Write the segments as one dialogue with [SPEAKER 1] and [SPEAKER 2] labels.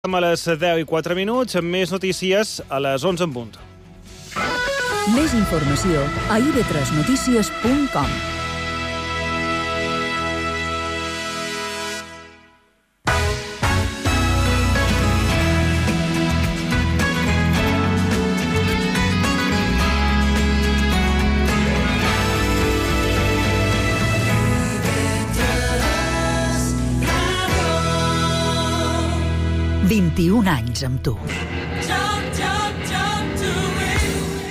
[SPEAKER 1] A les 10:04, amb més notícies a les 11 en punt.
[SPEAKER 2] Més informació a ib3notícies.com. anys amb tu.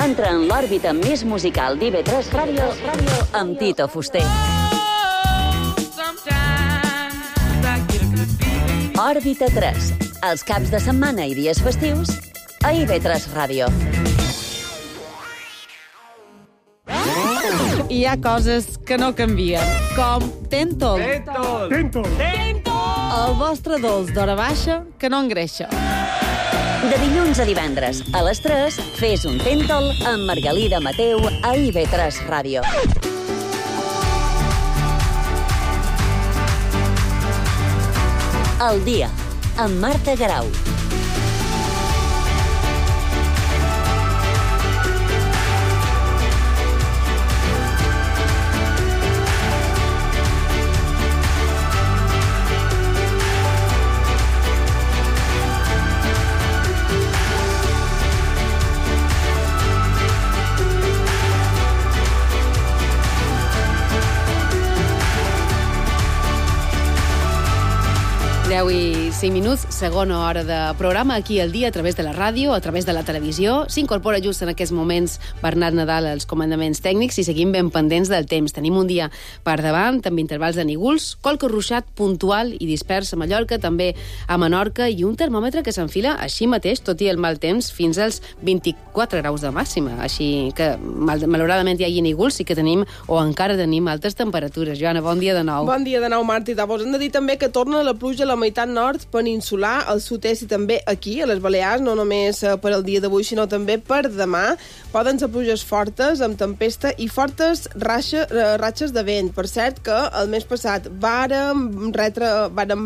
[SPEAKER 3] Entra en l'òrbita més musical d'IB3 Ràdio amb Tito Fuster. Òrbita 3, els caps de setmana i dies festius a IB3 Ràdio.
[SPEAKER 4] Hi ha coses que no canvien, com Tentol. El vostre dolç d'hora baixa que no engreixa.
[SPEAKER 3] De dilluns a divendres, a les 3, fes un Tentol amb Margalida Mateu a IB3 Ràdio. El dia, amb Marta Garau.
[SPEAKER 4] I 5 minuts, segona hora de programa aquí al dia a través de la ràdio, a través de la televisió. S'incorpora just en aquests moments Bernat Nadal als comandaments tècnics i seguim ben pendents del temps. Tenim un dia per davant, amb intervals de nígols, qualque ruixat puntual i dispers a Mallorca, també a Menorca, i un termòmetre que s'enfila així mateix, tot i el mal temps, fins als 24 graus de màxima. Així que, malauradament, hi hagi nígols i que tenim, o encara tenim, altes temperatures. Joana, bon dia de nou.
[SPEAKER 5] Bon dia de nou, Marta. Vos hem de dir també que torna la pluja a la meitat nord peninsular, al sud-est i també aquí, a les Balears, no només per al dia d'avui, sinó també per demà. Poden ser pluges fortes, amb tempesta i fortes ratxes de vent. Per cert que el mes passat vàrem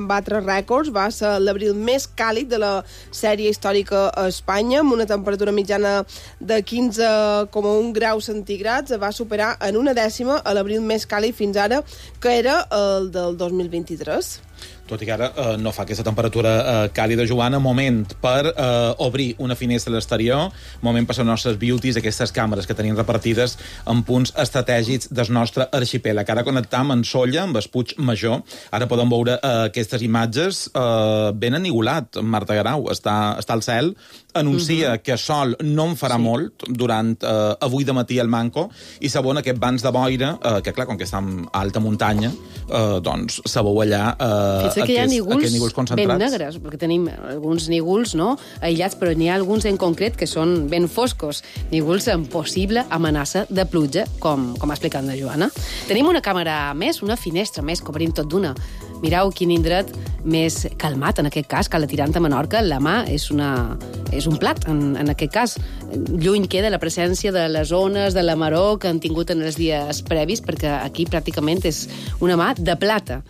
[SPEAKER 5] batre rècords, va ser l'abril més càlid de la sèrie històrica a Espanya, amb una temperatura mitjana de 15,1 graus centígrads, va superar en una dècima a l'abril més càlid fins ara, que era el del 2023.
[SPEAKER 6] Tot i que ara no fa aquesta temperatura càlida, Joana, moment per obrir una finestra a l'exterior, moment per les nostres beauties, aquestes càmeres que tenim repartides en punts estratègics del nostre arxipèlag. Ara connectam en Sóller, amb el Puig Major. Ara podem veure aquestes imatges ben enigolat. Marta Garau està al cel, anuncia que sol no en farà molt durant avui de matí al Manco, i segons aquest bancs de boira, que clar, com que està en alta muntanya, doncs se veu allà
[SPEAKER 4] que hi ha nígols
[SPEAKER 6] concentrats.
[SPEAKER 4] Ben negres, perquè tenim alguns nígols aïllats, però n'hi ha alguns en concret que són ben foscos. Nígols amb possible amenaça de pluja, com ha explicat la Joana. Tenim una càmera més, una finestra més, que obrim tot d'una. Mireu quin indret més calmat, en aquest cas, Cala Tirant a Menorca. La mà és un plat, en aquest cas. Lluny queda la presència de les ones, de la maror que han tingut en els dies previs, perquè aquí pràcticament és una mà de plata.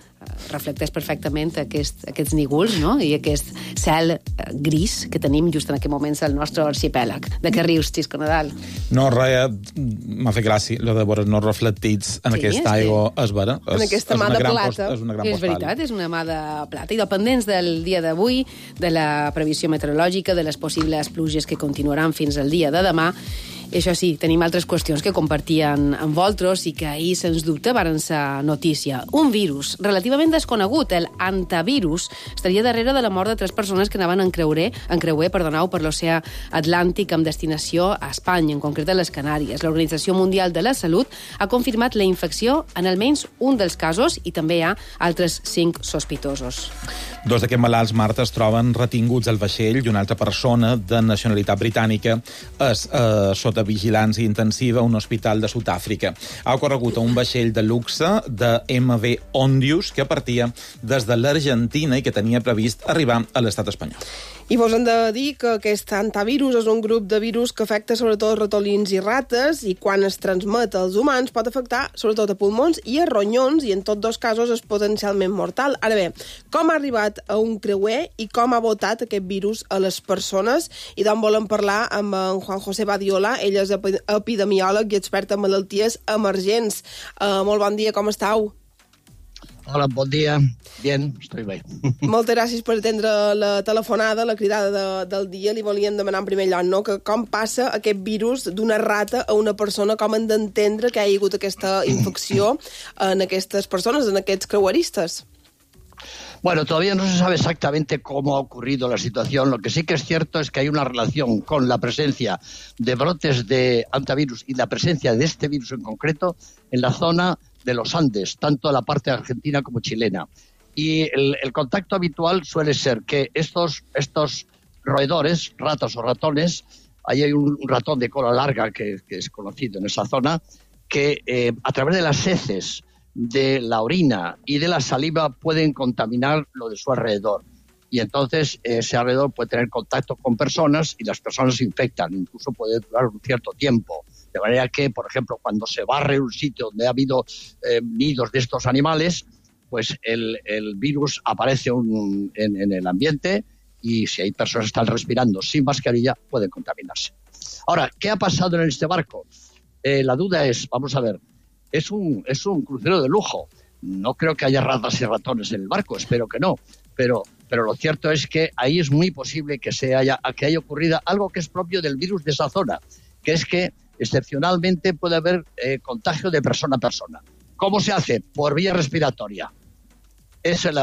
[SPEAKER 4] Reflecteix perfectament aquests nígols, no? I aquest cel gris que tenim just en aquest moments al nostre arxipèlag. De què rius, Xisco Nadal?
[SPEAKER 6] No, res, m'ha fet gràcia, lo de veure no reflectits en aquesta aigua, és vera.
[SPEAKER 5] En aquesta mà de plata.
[SPEAKER 6] És una gran postal.
[SPEAKER 4] És veritat, és una mà de plata. I dependents del dia d'avui, de la previsió meteorològica, de les possibles pluges que continuaran fins al dia de demà. Això sí, tenim altres qüestions que compartien amb vosaltres i que ahir, sens dubte, varen ser notícia. Un virus relativament desconegut, el hantavirus, estaria darrere de la mort de 3 persones que anaven en creuer per l'oceà Atlàntic amb destinació a Espanya, en concret a les Canàries. L'Organització Mundial de la Salut ha confirmat la infecció en almenys un dels casos i també hi ha altres 5 sospitosos.
[SPEAKER 6] 2 d'aquests malalts, Marta, es troben retinguts al vaixell i una altra persona de nacionalitat britànica és sota vigilància intensiva a un hospital de Sud-àfrica. Ha ocorregut a un vaixell de luxe de MV Ondius que partia des de l'Argentina i que tenia previst arribar a l'estat espanyol.
[SPEAKER 5] I vos hem de dir que aquest antivirus és un grup de virus que afecta sobretot ratolins i rates i quan es transmet als humans pot afectar sobretot a pulmons i a ronyons i en tots dos casos és potencialment mortal. Ara bé, com ha arribat a un creuer i com ha botat aquest virus a les persones i d'on volem parlar amb en Juan José Badiola, ell és epidemiòleg i expert en malalties emergents. Molt bon dia, com estàu?
[SPEAKER 7] Hola, bon dia. Bien, estoy bé.
[SPEAKER 5] Moltes gràcies per atendre la telefonada, la cridada del dia. Li volíem demanar en primer lloc, no?, que com passa aquest virus d'una rata a una persona, com hem d'entendre que hi ha hagut aquesta infecció en aquestes persones, en aquests creueristes.
[SPEAKER 7] Bueno, todavía no se sabe exactamente cómo ha ocurrido la situación. Lo que sí que es cierto es que hay una relación con la presencia de brotes de antivirus y la presencia de este virus en concreto en la zona de los Andes, tanto la parte argentina como chilena. Y el contacto habitual suele ser que estos roedores, ratas o ratones, ahí hay un ratón de cola larga que es conocido en esa zona, que a través de las heces, de la orina y de la saliva pueden contaminar lo de su alrededor. Y entonces ese alrededor puede tener contacto con personas y las personas se infectan, incluso puede durar un cierto tiempo. De manera que, por ejemplo, cuando se barre un sitio donde ha habido nidos de estos animales, pues el virus aparece en el ambiente y si hay personas que están respirando sin mascarilla, pueden contaminarse. Ahora, ¿qué ha pasado en este barco? La duda es, vamos a ver, es un crucero de lujo. No creo que haya ratas y ratones en el barco, espero que no. Pero lo cierto es que ahí es muy posible que haya ocurrido algo que es propio del virus de esa zona, que es que excepcionalmente puede haber contagio de persona a persona. ¿Cómo se hace? Por vía respiratoria.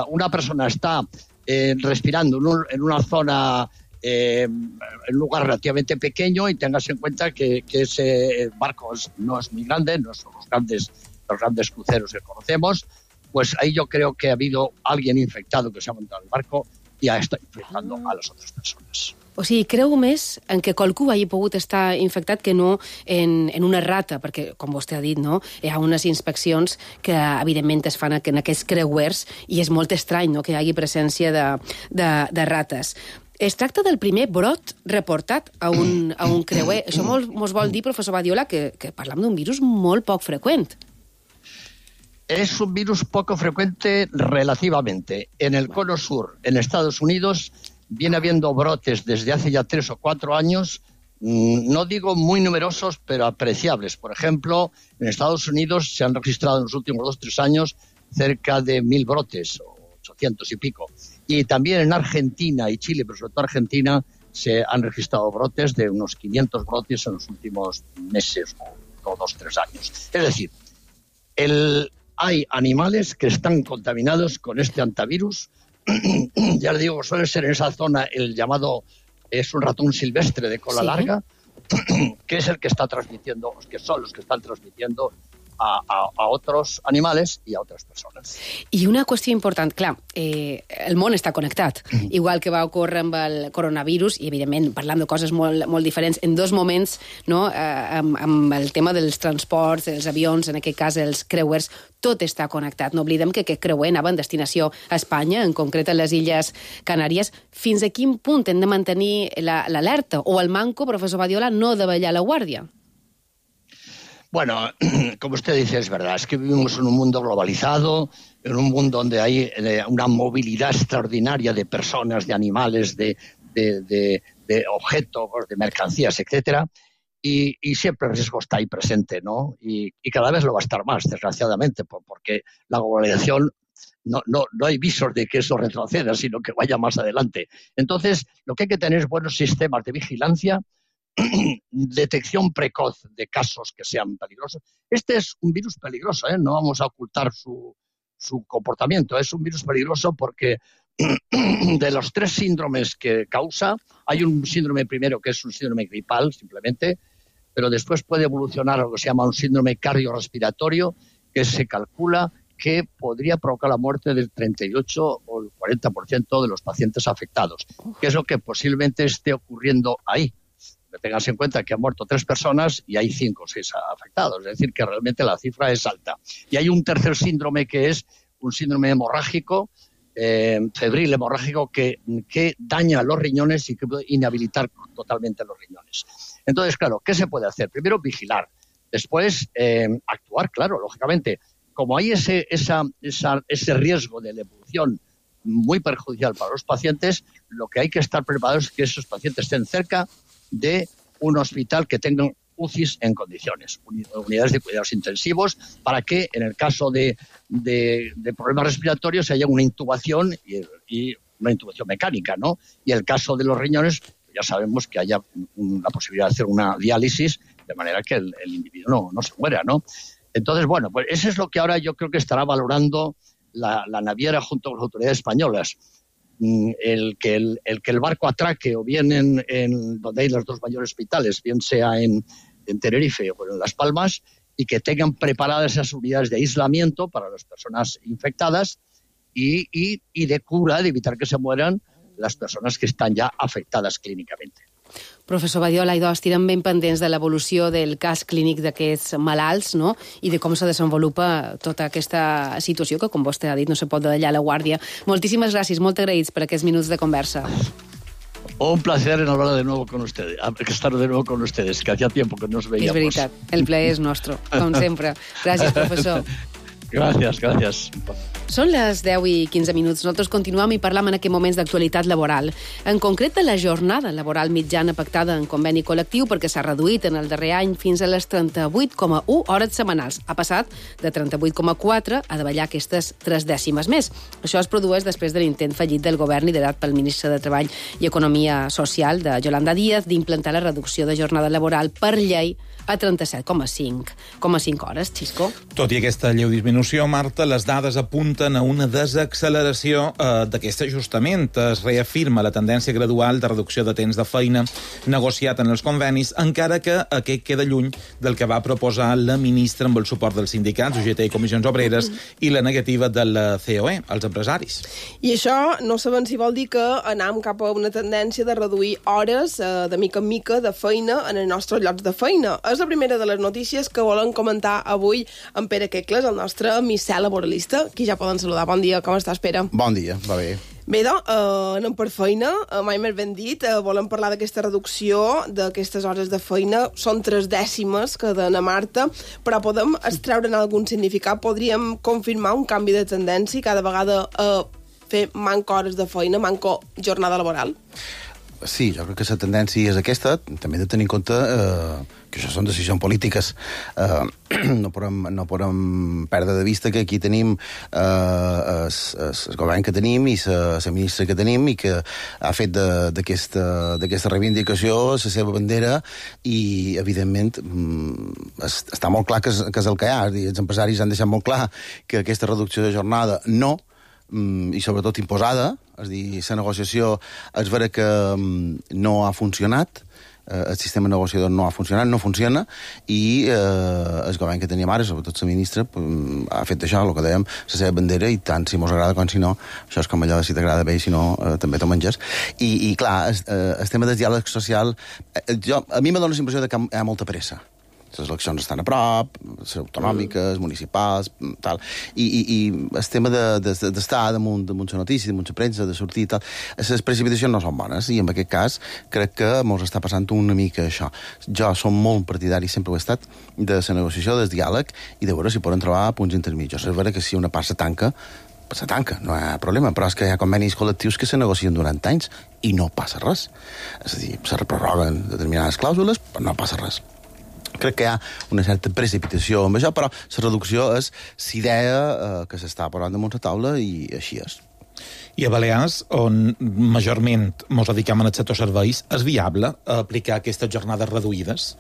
[SPEAKER 7] Una persona está respirando en una zona, en un lugar relativamente pequeño y tengas en cuenta que ese barco no es muy grande, no son los grandes cruceros que conocemos, pues ahí yo creo que ha habido alguien infectado que se ha montado en el barco i està infectando a les altres persones.
[SPEAKER 4] O sigui, creu més en que qualcú hagi pogut estar infectat que no en una rata, perquè, com vostè ha dit, no, hi ha unes inspeccions que, evidentment, es fan en aquests creuers i és molt estrany, no?, que hi hagi presència de rates. Es tracta del primer brot reportat a un creuer. Això mos vol dir, professor Badiola, que parlam d'un virus molt poc freqüent.
[SPEAKER 7] Es un virus poco frecuente relativamente. En el cono sur, en Estados Unidos, viene habiendo brotes desde hace ya 3 o 4 años, no digo muy numerosos, pero apreciables. Por ejemplo, en Estados Unidos se han registrado en los últimos 2 o 3 años cerca de 1.000 brotes, 800 y pico. Y también en Argentina y Chile, pero sobre todo Argentina, se han registrado brotes de unos 500 brotes en los últimos meses o 2 o 3 años. Es decir, hay animales que están contaminados con este antivirus. Ya le digo, suele ser en esa zona el llamado, es un ratón silvestre de cola larga, que es el que está transmitiendo, que son los que están transmitiendo a otros animales i a altres persones.
[SPEAKER 4] I una qüestió important, clar, el món està connectat, igual que va ocórrer amb el coronavirus, i evidentment parlant de coses molt diferents, en 2 moments, no, amb el tema dels transports, dels avions, en aquest cas els creuers, tot està connectat. No oblidem que aquest creuer anava en destinació a Espanya, en concret a les Illes Canàries. Fins a quin punt hem de mantenir l'alerta? O el manco, professor Badiola, no de ballar la guàrdia?
[SPEAKER 7] Bueno, como usted dice, es verdad, es que vivimos en un mundo globalizado, en un mundo donde hay una movilidad extraordinaria de personas, de animales, de objetos, de mercancías, etcétera, y siempre el riesgo está ahí presente, ¿no? Y cada vez lo va a estar más, desgraciadamente, porque la globalización no hay visos de que eso retroceda, sino que vaya más adelante. Entonces, lo que hay que tener es buenos sistemas de vigilancia, detección precoz de casos que sean peligrosos. Este es un virus peligroso, no vamos a ocultar su comportamiento. Es un virus peligroso porque de los 3 síndromes que causa, hay un síndrome primero que es un síndrome gripal, simplemente, pero después puede evolucionar a lo que se llama un síndrome cardiorrespiratorio, que se calcula que podría provocar la muerte del 38 o el 40% de los pacientes afectados, que es lo que posiblemente esté ocurriendo ahí. Tengas en cuenta que han muerto 3 personas y hay 5 o 6 afectados, es decir, que realmente la cifra es alta. Y hay un tercer síndrome que es un síndrome hemorrágico febril hemorrágico que daña los riñones y que puede inhabilitar totalmente los riñones. Entonces, claro, ¿qué se puede hacer? Primero, vigilar. Después, actuar, claro, lógicamente. Como hay ese riesgo de la evolución muy perjudicial para los pacientes, lo que hay que estar preparados es que esos pacientes estén cerca de un hospital que tengan UCIs en condiciones, unidades de cuidados intensivos, para que en el caso de problemas respiratorios haya una intubación y una intubación mecánica, ¿no? Y el caso de los riñones, ya sabemos que haya la posibilidad de hacer una diálisis de manera que el individuo no se muera, ¿no? Entonces, bueno, pues eso es lo que ahora yo creo que estará valorando la naviera junto con las autoridades españolas. El que el barco atraque o bien en donde hay los dos mayores hospitales, bien sea en Tenerife o en Las Palmas, y que tengan preparadas esas unidades de aislamiento para las personas infectadas y de cura, de evitar que se mueran las personas que están ya afectadas clínicamente.
[SPEAKER 4] Professor Badiola, estirem ben pendents de l'evolució del cas clínic d'aquests malalts, no? I de com se desenvolupa tota aquesta situació que, com vostè ha dit, no se pot dallar la guàrdia. Moltíssimes gràcies, molt agraïts per aquests minuts de conversa.
[SPEAKER 7] Un placer en hablar de nuevo con ustedes, estar de nuevo con ustedes, que hacía tiempo que nos veíamos.
[SPEAKER 4] És veritat, el plaer és nostre, com sempre. Gràcies, professor.
[SPEAKER 7] Gràcies.
[SPEAKER 4] Són les 10 i 15 minuts. Nosaltres continuem i parlam en aquest moments d'actualitat laboral. En concret, de la jornada laboral mitjana pactada en conveni col·lectiu, perquè s'ha reduït en el darrer any fins a les 38,1 hores setmanals. Ha passat de 38,4 a davallar aquestes 3 dècimes més. Això es produeix després de l'intent fallit del govern liderat pel ministre de Treball i Economia Social, de Yolanda Díaz, d'implantar la reducció de jornada laboral per llei a 37,5 hores, Xisco.
[SPEAKER 6] Tot i aquesta lleu disminució, Marta, les dades apunten a una desacceleració d'aquest ajustament. Es reafirma la tendència gradual de reducció de temps de feina negociat en els convenis, encara que aquest queda lluny del que va proposar la ministra amb el suport dels sindicats, UGT i Comissions Obreres, i la negativa de la COE, els empresaris.
[SPEAKER 5] I això no sabem si vol dir que anem cap a una tendència de reduir hores de mica en mica de feina en els nostres llocs de feina. És la primera de les notícies que volem comentar avui amb Pere Quecles, el nostre misser laboralista. Aquí ja poden saludar. Bon dia, com estàs, Pere?
[SPEAKER 8] Bon dia, va bé.
[SPEAKER 5] Bé, doncs, anem per feina, mai més ben dit. Volem parlar d'aquesta reducció d'aquestes hores de feina. Són 3 dècimes que dona Marta, però podem extreure'n algun significat. Podríem confirmar un canvi de tendència cada vegada a fer manco hores de feina, manco jornada laboral?
[SPEAKER 8] Sí, jo crec que la tendència és aquesta. També hem de tenir en compte que això són decisions polítiques. No podem perdre de vista que aquí tenim el govern que tenim i la ministra que tenim i que ha fet d'aquesta reivindicació la seva bandera i, evidentment, està molt clar que és el que hi ha. Els empresaris han deixat molt clar que aquesta reducció de jornada no, i sobretot imposada, és a dir, la negociació és vera que no ha funcionat, el sistema negociador no ha funcionat, no funciona, i el govern que teníem ara, sobretot la ministra, ha fet això, el que dèiem, la seva bandera, i tant si mos agrada com si no, això és com allò de si t'agrada bé i si no, també t'ho menges. I clar, el tema del diàleg social, a mi me dóna la impressió que hi ha molta pressa. Les eleccions estan a prop, les autonòmiques, municipals, tal, i el tema d'estar damunt la notícia, damunt la premsa, de sortir i tal, les precipitacions no són bones, i en aquest cas crec que ens està passant una mica això. Jo som molt partidari, sempre ho he estat, de la negociació, del diàleg, i de veure si poden trobar punts intermitjos. És vera que si una part se tanca, no hi ha problema, però és que hi ha convenis col·lectius que se negocien durant anys i no passa res. És a dir, se reprorroguen determinades clàusules, però no passa res. Crec que hi ha una certa precipitació amb això, però la reducció és l'idea que s'està posant damunt la taula i així és.
[SPEAKER 6] I a Balears, on majorment ens dediquem al sector serveis, és viable aplicar aquestes jornades reduïdes?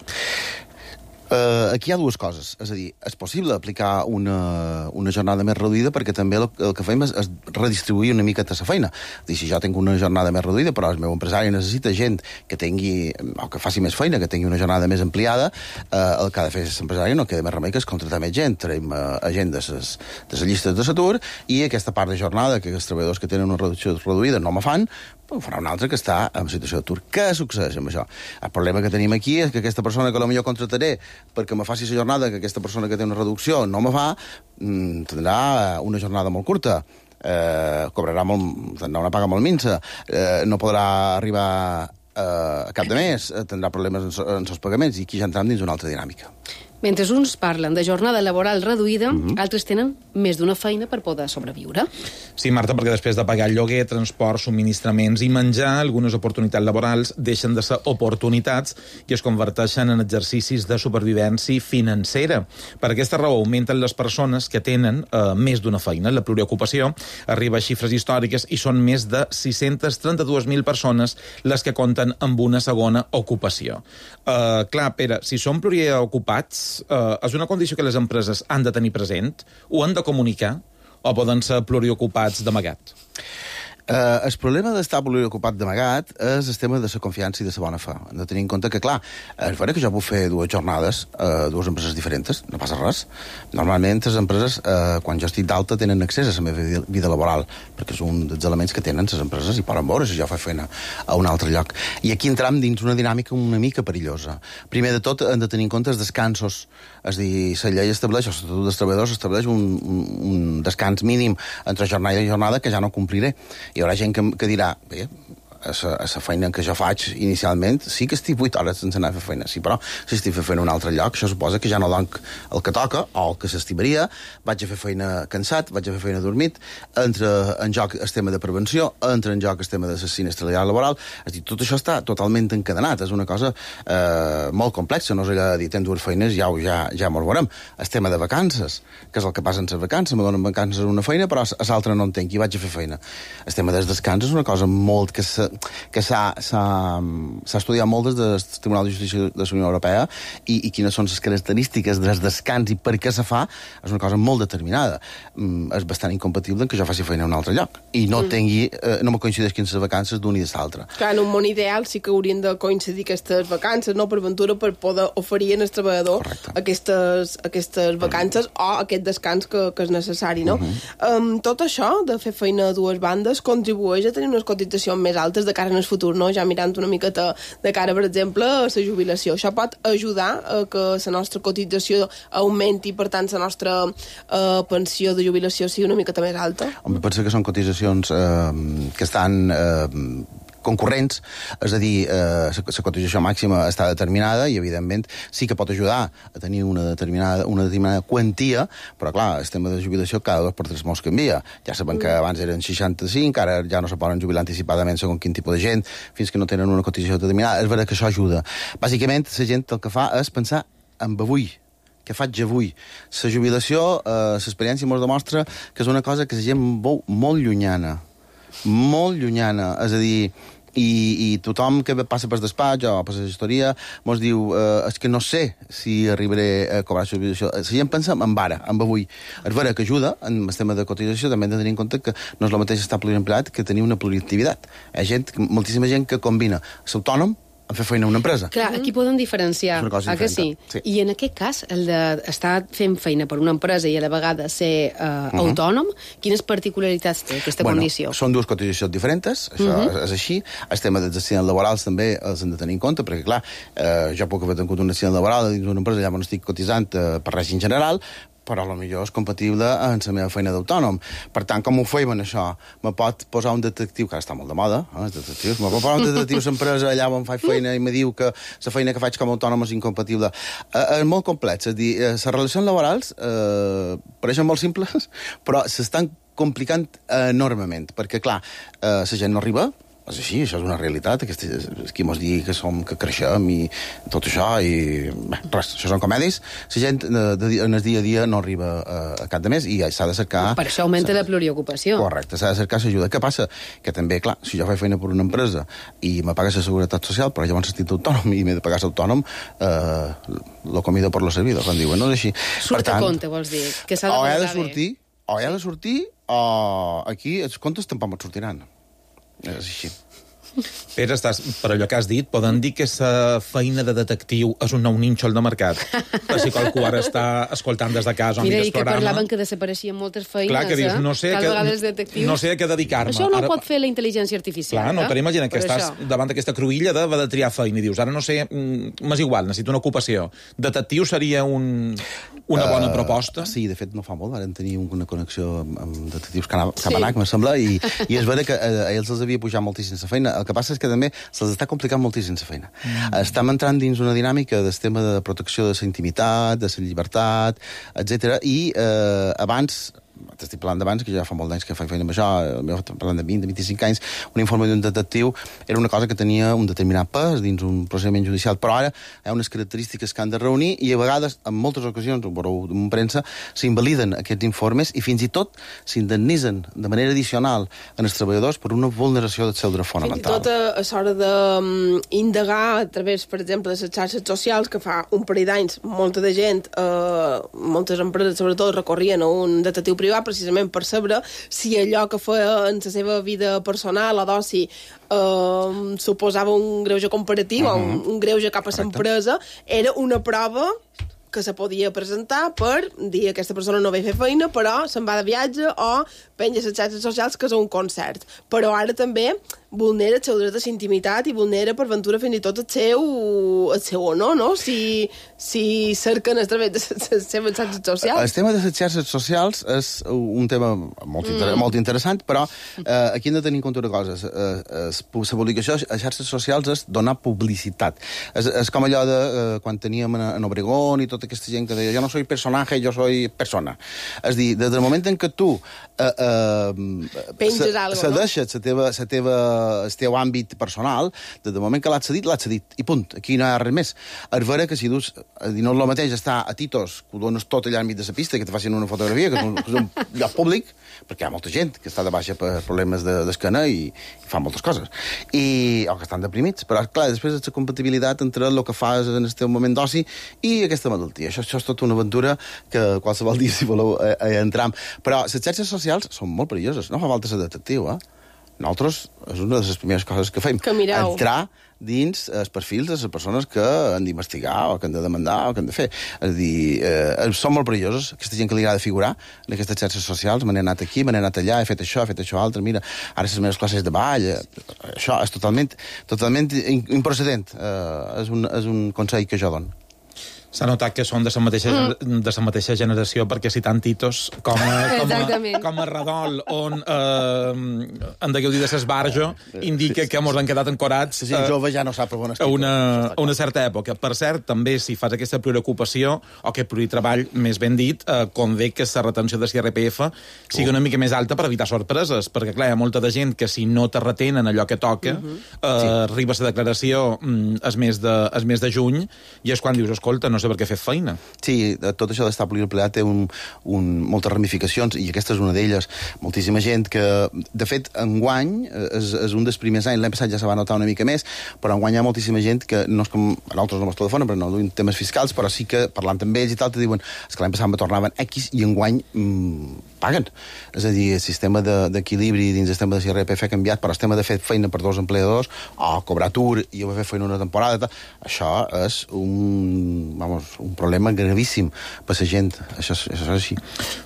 [SPEAKER 8] Aquí hi ha dues coses. És a dir, és possible aplicar una jornada més reduïda perquè també el que fem és redistribuir una mica la feina. És dir, si jo tinc una jornada més reduïda, però el meu empresari necessita gent que tingui, o que faci més feina, que tingui una jornada més ampliada, el que ha de fer l'empresari no queda més remei que és contratar més gent. Traiem gent de les llistes de l'atur i aquesta part de jornada que els treballadors que tenen una reducció reduïda no me fan, ho farà un altre que està en situació d'atur. Què succeeix amb això? El problema que tenim aquí és que aquesta persona que potser contrataré perquè me faci la jornada que aquesta persona que té una reducció no me fa, tindrà una jornada molt curta. cobrarà una paga molt minsa, no podrà arribar a cap de mes, tindrà problemes en els pagaments, i aquí ja entrem dins una altra dinàmica.
[SPEAKER 4] Mentre uns parlen de jornada laboral reduïda, altres tenen més d'una feina per poder sobreviure.
[SPEAKER 6] Sí, Marta, perquè després de pagar el lloguer, transport, subministraments i menjar, algunes oportunitats laborals deixen de ser oportunitats i es converteixen en exercicis de supervivència financera. Per aquesta raó augmenten les persones que tenen més d'una feina. La pluriocupació arriba a xifres històriques i són més de 632.000 persones les que compten amb una segona ocupació. Clar, Pere, si som pluriocupats, és una condició que les empreses han de tenir present, ho han de comunicar, o poden ser pluriocupats d'amagat?
[SPEAKER 8] El problema d'estar pluriocupat d'amagat és el tema de la confiança i de la bona fe. Hem de tenir en compte que, clar, és vera que jo puc fer 2 jornades a 2 empreses diferents, no passa res. Normalment, les empreses, quan jo estic d'alta, tenen accés a la meva vida laboral, perquè és un dels elements que tenen les empreses i poden veure si jo faig feina a un altre lloc. I aquí entrem dins una dinàmica una mica perillosa. Primer de tot, hem de tenir en compte els descansos. És a dir, la llei estableix, o l'Estatut dels Treballadors estableix un descans mínim entre jornada i jornada que ja no compliré. Hi haurà gent que dirà, bé, a la feina que jo faig inicialment, sí que estic 8 hores sense anar a fer feina, sí, però si estic fent feina a un altre lloc, això suposa que ja no dono el que toca, o el que s'estimaria, vaig a fer feina cansat, vaig a fer feina dormit, entra en joc el tema de prevenció, entra en joc el tema de la sinistralitat laboral, és a dir, tot això està totalment encadenat, és una cosa molt complexa, no és allò de dir, tens 2 feines, ja m'ho veurem. El tema de vacances, que és el que passa en les vacances, me donen vacances en una feina, però a l'altra no en tenc i vaig a fer feina. El tema dels descans és una cosa molt que s'ha estudiat molt des del Tribunal de Justícia de la Unió Europea i quines són les característiques dels descans i per què se fa, és una cosa molt determinada. És bastant incompatible que jo faci feina a un altre lloc i no me coincideixin les vacances d'un i de l'altre.
[SPEAKER 5] Clar, en un món ideal sí que haurien de coincidir aquestes vacances, no, per ventura, per poder oferir al treballador aquestes vacances o aquest descans que és necessari, no? Tot això de fer feina a 2 bandes contribueix a tenir unes cotitzacions més altes de cara en el futur, no? Ja mirant una miqueta de cara, per exemple, a la jubilació. Això pot ajudar a que la nostra cotització augmenti, per tant, la nostra pensió de jubilació sigui una miqueta més alta?
[SPEAKER 8] Home, penso que són cotitzacions que estan concurrents, és a dir, la cotització màxima està determinada i, evidentment, sí que pot ajudar a tenir una determinada quantia, però, clar, el tema de jubilació cada 2 per 3 mesos canvia. Ja sabem que abans eren 65, ara ja no se poden jubilar anticipadament segons quin tipus de gent, fins que no tenen una cotització determinada. És vera que això ajuda. Bàsicament, la gent el que fa és pensar en avui, què faig avui. La jubilació, l'experiència ens demostra que és una cosa que la gent veu molt llunyana, és a dir, i tothom que passa per despatx o per la gestoria mos diu, és que no sé si arribaré a cobrar la jubilació. La gent pensa en ara, en avui. És vera que ajuda en el tema de cotització, també hem de tenir en compte que no és el mateix estar pluriempleat que tenir una pluriactivitat. Hi ha moltíssima gent que combina l'autònom a fer feina a una empresa.
[SPEAKER 4] Clar, aquí podem diferenciar, que sí? I en aquest cas, el d'estar fent feina per una empresa i a la vegada ser autònom, quines particularitats té aquesta condició?
[SPEAKER 8] Són 2 cotitzacions diferents, això és així. El tema dels accidents laborals també els hem de tenir en compte, perquè, clar, jo puc haver tingut un accident laboral dins d'una empresa, ja no estic cotitzant per règim general, però potser és compatible amb la meva feina d'autònom. Per tant, com ho feim en això? Me pot posar un detectiu, que ara està molt de moda, els detectius, me pot posar un detectiu a l'empresa allà on faig feina i me diu que la feina que faig com a autònom és incompatible. És molt complex, és a dir, les relacions laborals pareixen molt simples, però s'estan complicant enormement, perquè, clar, la gent no arriba, és així, això és una realitat, qui mos digui que creixem i tot això, i res, això són comèdies. La gent en el dia a dia no arriba a cap de mes i s'ha de cercar...
[SPEAKER 4] Per això augmenta la pluriocupació.
[SPEAKER 8] Correcte, s'ha de cercar l'ajuda. Què passa? Que també, clar, si jo faig feina per una empresa i me paga la seguretat social, però llavors estic autònom i m'he de pagar l'autònom, lo comido por lo servido, quan diuen, no és així.
[SPEAKER 4] Surt a compte, vols dir? Que s'ha de
[SPEAKER 8] valorar bé. O he de sortir, o aquí els comptes tampoc me'n sortiran. És així.
[SPEAKER 6] Pere, per allò que has dit, poden dir que la feina de detectiu és un nou nínxol de mercat. Per si qualcú ara està escoltant des de casa o mira el programa.
[SPEAKER 4] Mira, i que parlaven que desapareixien moltes feines,
[SPEAKER 6] clar, que dius, no sé
[SPEAKER 4] no
[SPEAKER 6] sé a què dedicar-me.
[SPEAKER 4] Això no ho pot fer la intel·ligència artificial.
[SPEAKER 6] Clar, no, te n'imagines que estàs davant d'aquesta cruïlla de triar feina i dius, ara no sé, m'és igual, necessito una ocupació. Detectiu seria una bona proposta?
[SPEAKER 8] Sí, de fet no fa molt, vam tenir una connexió amb detectius Cabanac, me sembla, i és vera que a ells els havia pujat moltíssim la feina. El que passa és que també se'ls està complicant moltíssim la feina. Estem entrant dins una dinàmica del tema de protecció de la intimitat, de la llibertat, etc. I abans, t'estic parlant d'abans, que ja fa molt d'anys que faig feina amb això, parlant de 20, de 25 anys, un informe d'un detectiu era una cosa que tenia un determinat pes dins un procediment judicial, però ara hi ha unes característiques que han de reunir i a vegades, en moltes ocasions, ho veureu en premsa, s'invaliden aquests informes i fins i tot s'indemnitzen de manera addicional en els treballadors per una vulneració del seu dret fonamental.
[SPEAKER 5] Fins i tot a l'hora d'indagar a través, per exemple, de les xarxes socials, que fa un parell d'anys molta de gent, moltes empreses sobretot recorrien a un detectiu privat precisament per saber si allò que feia en la seva vida personal o d'oci suposava un greuge comparatiu o un greuge cap a l'empresa, era una prova que se podia presentar per dir que aquesta persona no ve a fer feina, però se'n va de viatge o penja les xarxes socials que és un concert. Però ara també vulnera el seu dret a la intimitat i vulnera per ventura fins i tot el seu honor, no? Si cerquen a través de les seves xarxes socials.
[SPEAKER 8] El tema de les xarxes socials és un tema molt interessant, però aquí hem de tenir en compte una cosa. La publicació a xarxes socials és donar publicitat. És com allò de quan teníem en Obregón i tota aquesta gent que deia jo no soy personaje, jo soy persona. És dir, des del moment en què tu
[SPEAKER 5] penges alguna cosa,
[SPEAKER 8] el teu àmbit personal, des del moment que l'has cedit, i punt. Aquí no hi ha res més. És vera que si dus, no és el mateix estar a Titos, que ho dones tot allà enmig de la pista, que te facin una fotografia, que és un lloc públic, perquè hi ha molta gent que està de baixa per problemes d'esquena i fa moltes coses. O que estan deprimits. Però, clar, després és la compatibilitat entre el que fas en el teu moment d'oci i aquesta malaltia. Això és tota una aventura que qualsevol dia, si voleu, entram. Però les xarxes socials són molt perilloses. No fa falta ser detectiu, Nosaltres, és una de les primeres coses que fem. Entrar dins els perfils de les persones que han d'investigar o que han de demandar o que han de fer. És a dir, són molt perilloses. Aquesta gent que li agrada figurar en aquestes xarxes socials, me n'he anat aquí, me n'he anat allà, he fet això altre, mira, ara les meves classes de ball, això és totalment improcedent. És un consell que jo dono.
[SPEAKER 6] S'ha notat que són de la mateixa generació, perquè citant Titos com a redol on en degueu dir de s'esbarjo indica que mos han quedat ancorats
[SPEAKER 8] la gent jove ja no sap on
[SPEAKER 6] a una certa època. Per cert, també si fas aquesta preocupació o aquest treball, més ben dit, convé que la retenció de l'IRPF sigui una mica més alta per evitar sorpreses, perquè clar, hi ha molta de gent que si no te retenen allò que toca arriba la declaració el mes de juny i és quan dius, escolta, no sé per què fer feina.
[SPEAKER 8] Sí, tot això d'estar pluriempleat té moltes ramificacions, i aquesta és una d'elles. Moltíssima gent que, de fet, enguany, és un dels primers anys, l'any passat ja se va notar una mica més, però enguany hi ha moltíssima gent que, no és com a nosaltres no mos telefonen, però no duim temes fiscals, però sí que, parlant amb ells i tal, te diuen, és que l'any passat me tornaven X i enguany paguen. És a dir, el sistema d'equilibri dins el sistema de l'IRPF ha canviat, però el sistema de fer feina per dos empleadors, o cobrar atur i fer feina una temporada, això és un problema gravíssim per la gent. Això és així.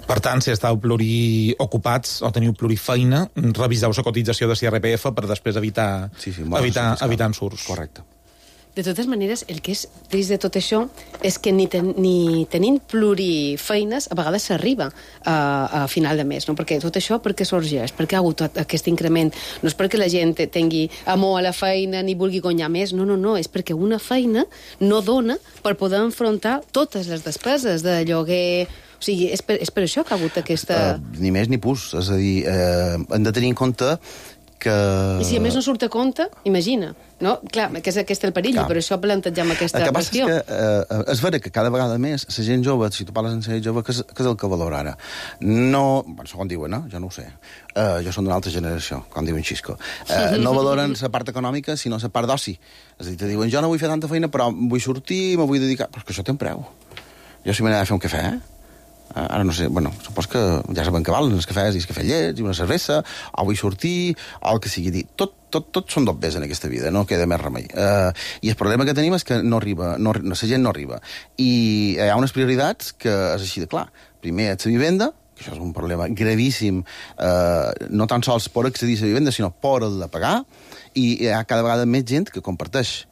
[SPEAKER 6] Per tant, si estàu pluriocupats o teniu plurifeina, reviseu la cotització de l'IRPF per després evitar ensurts.
[SPEAKER 8] Correcte.
[SPEAKER 4] De totes maneres, el que és trist de tot això és que ni tenint plurifeines a vegades s'arriba a final de mes, no? Perquè tot això perquè sorgeix, perquè ha hagut aquest increment. No és perquè la gent tingui amor a la feina ni vulgui guanyar més, no, és perquè una feina no dona per poder enfrontar totes les despeses de lloguer. O sigui, és per això que ha hagut aquesta...
[SPEAKER 8] Ni més ni pus. És a dir, hem de tenir en compte que...
[SPEAKER 4] I si a més no surt a compte, imagina, no? Clar, que és aquest el perill, per això plantegem aquesta qüestió.
[SPEAKER 8] El que passa és vera que cada vegada més la gent jove, si tu parles amb la gent jove, que és el que valora ara? No, segons diuen, jo no ho sé. Jo som d'una altra generació, com diuen Xisco. No valoren la part econòmica, sinó la part d'oci. És a dir, te diuen, jo no vull fer tanta feina, però vull sortir, me vull dedicar... Però és que això té un preu. Jo si m'anava a fer un cafè, ara no sé, supos que ja saben que valen els cafès i els cafès llets i una cervesa, o vull sortir, o el que sigui. Tot tot són dobbers en aquesta vida, no queda més remei. I el problema que tenim és que no arriba, la gent no arriba. I hi ha unes prioritats que és així de clar. Primer, és la vivenda, que això és un problema gravíssim, no tan sols per accedir a la vivenda, sinó per el de pagar, i hi ha cada vegada més gent que comparteix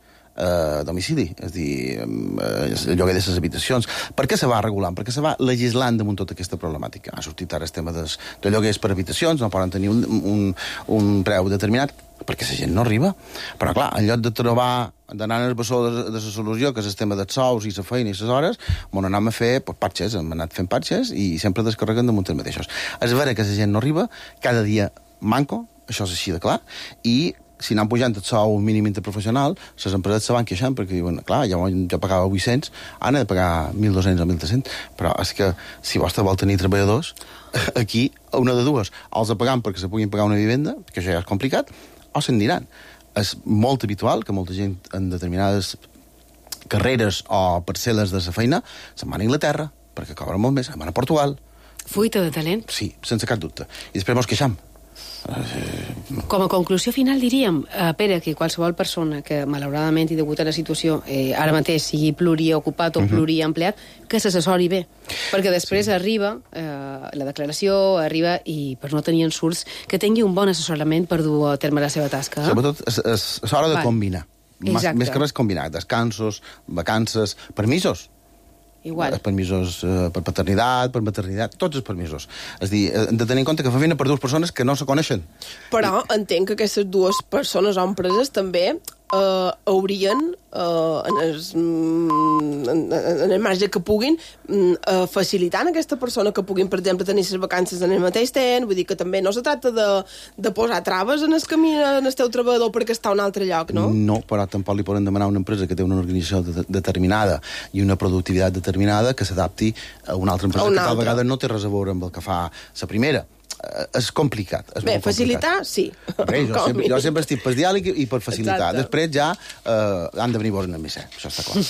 [SPEAKER 8] domicili, és a dir, el lloguer de les habitacions. Per què se va regulant? Per què se va legislant damunt tota aquesta problemàtica? Ha sortit ara el tema de lloguers per habitacions, no poden tenir un preu determinat, perquè la gent no arriba. Però, clar, en lloc de trobar, d'anar en el bessó de la solució, que és el tema dels sous i la feina i les hores, on anem a fer patxes, hem anat fent patxes i sempre descarreguen damunt els mateixos. És vera que la gent no arriba, cada dia manco, això és així de clar, i si anem pujant el sou mínim interprofessional, les empreses se van queixant perquè diuen, clar, jo pagava 800, ara he de pagar 1.200 o 1.300, però és que si vostè vol tenir treballadors, aquí, una de dues, els pagam perquè se puguin pagar una vivenda, que això ja és complicat, o se'n diran. És molt habitual que molta gent en determinades carreres o parcel·les de la feina se'n van a Anglaterra, perquè cobren molt més, se'n van a Portugal.
[SPEAKER 4] Fuita de talent.
[SPEAKER 8] Sí, sense cap dubte. I després mos queixam.
[SPEAKER 4] Com a conclusió final diríem, Pere, que qualsevol persona que malauradament i degut a la situació ara mateix sigui pluriocupat o pluriempleat, que s'assessori bé, perquè després arriba la declaració, arriba i per no tenir ensurts, que tingui un bon assessorament per dur a terme la seva tasca.
[SPEAKER 8] Sobretot és hora de combinar. Més que res combinar, descansos, vacances, permisos.
[SPEAKER 4] Igual.
[SPEAKER 8] Permisos per paternitat, per maternitat, tots els permisos. És a dir, hem de tenir en compte que fa feina per dues persones que no se coneixen.
[SPEAKER 5] Però entenc que aquestes dues persones o empreses també haurien, en el marge que puguin, facilitant a aquesta persona que puguin, per exemple, tenir les vacances en el mateix temps. Vull dir que també no se tracta de posar traves en el camí en el teu treballador perquè està a un altre lloc, no?
[SPEAKER 8] No, però tampoc li poden demanar a una empresa que té una organització determinada i una productivitat determinada que s'adapti a una altra empresa que tal vegada no té res a veure amb el que fa la primera. És complicat.
[SPEAKER 5] Bé, facilitar, sí.
[SPEAKER 8] Bé, jo sempre estic per diàleg i per facilitar.
[SPEAKER 5] Exacte.
[SPEAKER 8] Després ja han de venir vos en el missè, això està clar.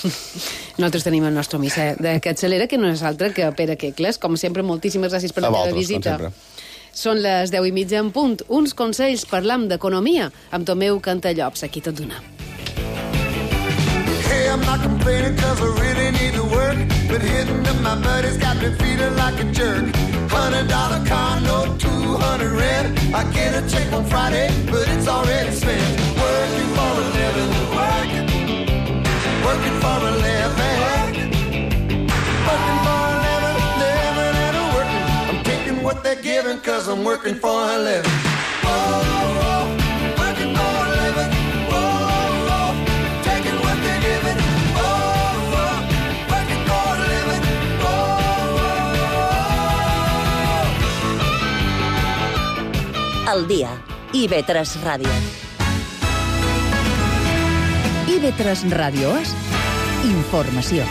[SPEAKER 4] Nosaltres tenim el nostre missè de Capçalera, que no és altre que Pere Quecles. Com sempre, moltíssimes gràcies per la teva visita. Són les 10:30 en punt. Uns consells, parlam d'economia amb Tomeu Cantallops, aquí tot d'una.
[SPEAKER 9] Hey, I'm not complaining cause I really need to work, but hitting up my buddies got me feeling like a jerk. $100 car note, 200 rent. I get a check on Friday, but it's already spent. Working for a living, working for a living, working for a living and a working. I'm taking what they're giving cause I'm working for a living. Whoa, working for a living. Whoa, taking what they're giving.
[SPEAKER 3] Al dia. IB3 Ràdio.
[SPEAKER 2] IB3 Ràdio és informació.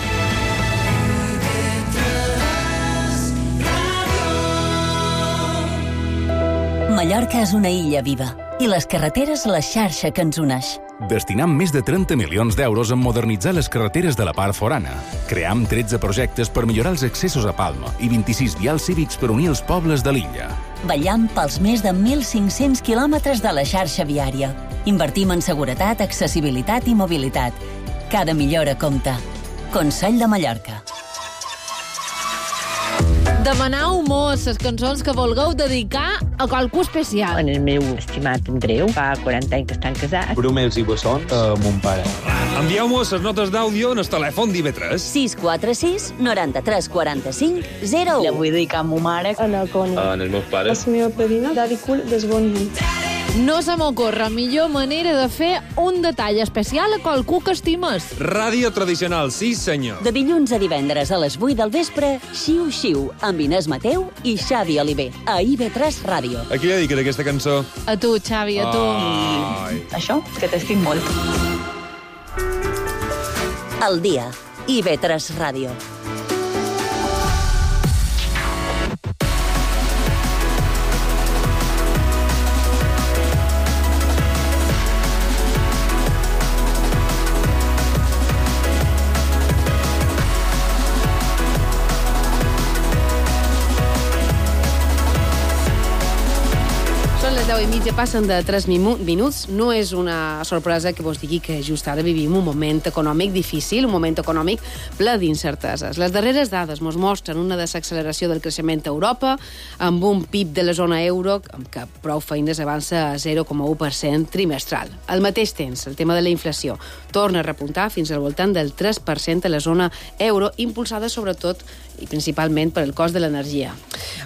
[SPEAKER 3] Mallorca és una illa viva i les carreteres la xarxa que ens uneix.
[SPEAKER 10] Destinam més de 30 milions d'euros en modernitzar les carreteres de la part forana. Cream 13 projectes per millorar els accessos a Palma i 26 vials cívics per unir els pobles de l'illa.
[SPEAKER 3] Vetllam pels més de 1.500 quilòmetres de la xarxa viària. Invertim en seguretat, accessibilitat i mobilitat. Cada millora compta. Consell de Mallorca.
[SPEAKER 11] Demanau mos les cançons que vulgueu dedicar a qualcú especial.
[SPEAKER 12] En el meu estimat Andreu, fa 40 anys que estan casats.
[SPEAKER 13] Bromels i bessons, mon pare.
[SPEAKER 14] Envieu-mos les notes d'àudio en el telèfon d'IB3.
[SPEAKER 3] 646 93 45 01.
[SPEAKER 12] La vull dedicar a ma mare.
[SPEAKER 15] A la Coni.
[SPEAKER 13] A els meus pares.
[SPEAKER 15] A la meva padrina, Daddy Cool, des bon dia.
[SPEAKER 11] No se m'ocorre millor manera de fer un detall especial a qualcú que estimes.
[SPEAKER 14] Ràdio tradicional, sí senyor.
[SPEAKER 3] De dilluns a divendres a les 8 del vespre, Xiu Xiu, amb Inés Mateu i Xavi Oliver, a IB3 Ràdio.
[SPEAKER 14] A qui li dediques aquesta cançó?
[SPEAKER 11] A tu, Xavi, a tu.
[SPEAKER 12] Això, que t'estic molt.
[SPEAKER 3] Al dia, IB3 Ràdio.
[SPEAKER 4] i mitja passen de 3 minuts. No és una sorpresa que vos digui que just ara vivim un moment econòmic difícil, un moment econòmic ple d'incerteses. Les darreres dades mos mostren una desacceleració del creixement a Europa, amb un PIB de la zona euro amb què prou feines avança a 0,1% trimestral. Al mateix temps, el tema de la inflació torna a repuntar fins al voltant del 3% a la zona euro, impulsada sobretot i principalment per el cost de l'energia.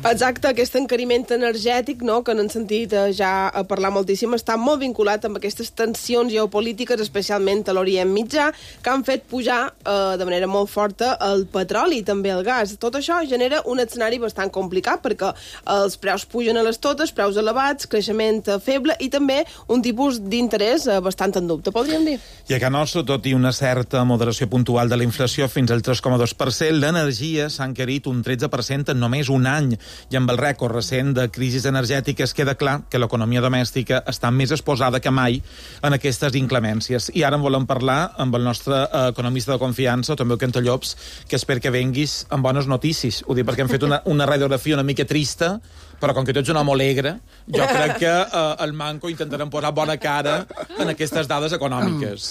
[SPEAKER 5] Exacte, aquest encariment energètic, no?, que n'hem sentit ja a parlar moltíssim, està molt vinculat amb aquestes tensions geopolítiques, especialment a l'Orient Mitjà, que han fet pujar de manera molt forta el petroli i també el gas. Tot això genera un escenari bastant complicat, perquè els preus pugen a les totes, preus elevats, creixement feble i també un tipus d'interès bastant en dubte, podríem dir.
[SPEAKER 6] I a Can Nostra, tot i una certa moderació puntual de la inflació fins al 3,2%, l'energia s'ha encarit un 13% en només un any, i amb el rècord recent de crisis energètiques queda clar que l'economia domèstica està més exposada que mai en aquestes inclemències. I ara en volem parlar amb el nostre economista de confiança, també el Cantallops, que espero que venguis amb bones notícies. Ho dic perquè hem fet una radiografia una mica trista, però com que tu ets un home alegre, jo crec que el Manco intentarem posar bona cara en aquestes dades econòmiques.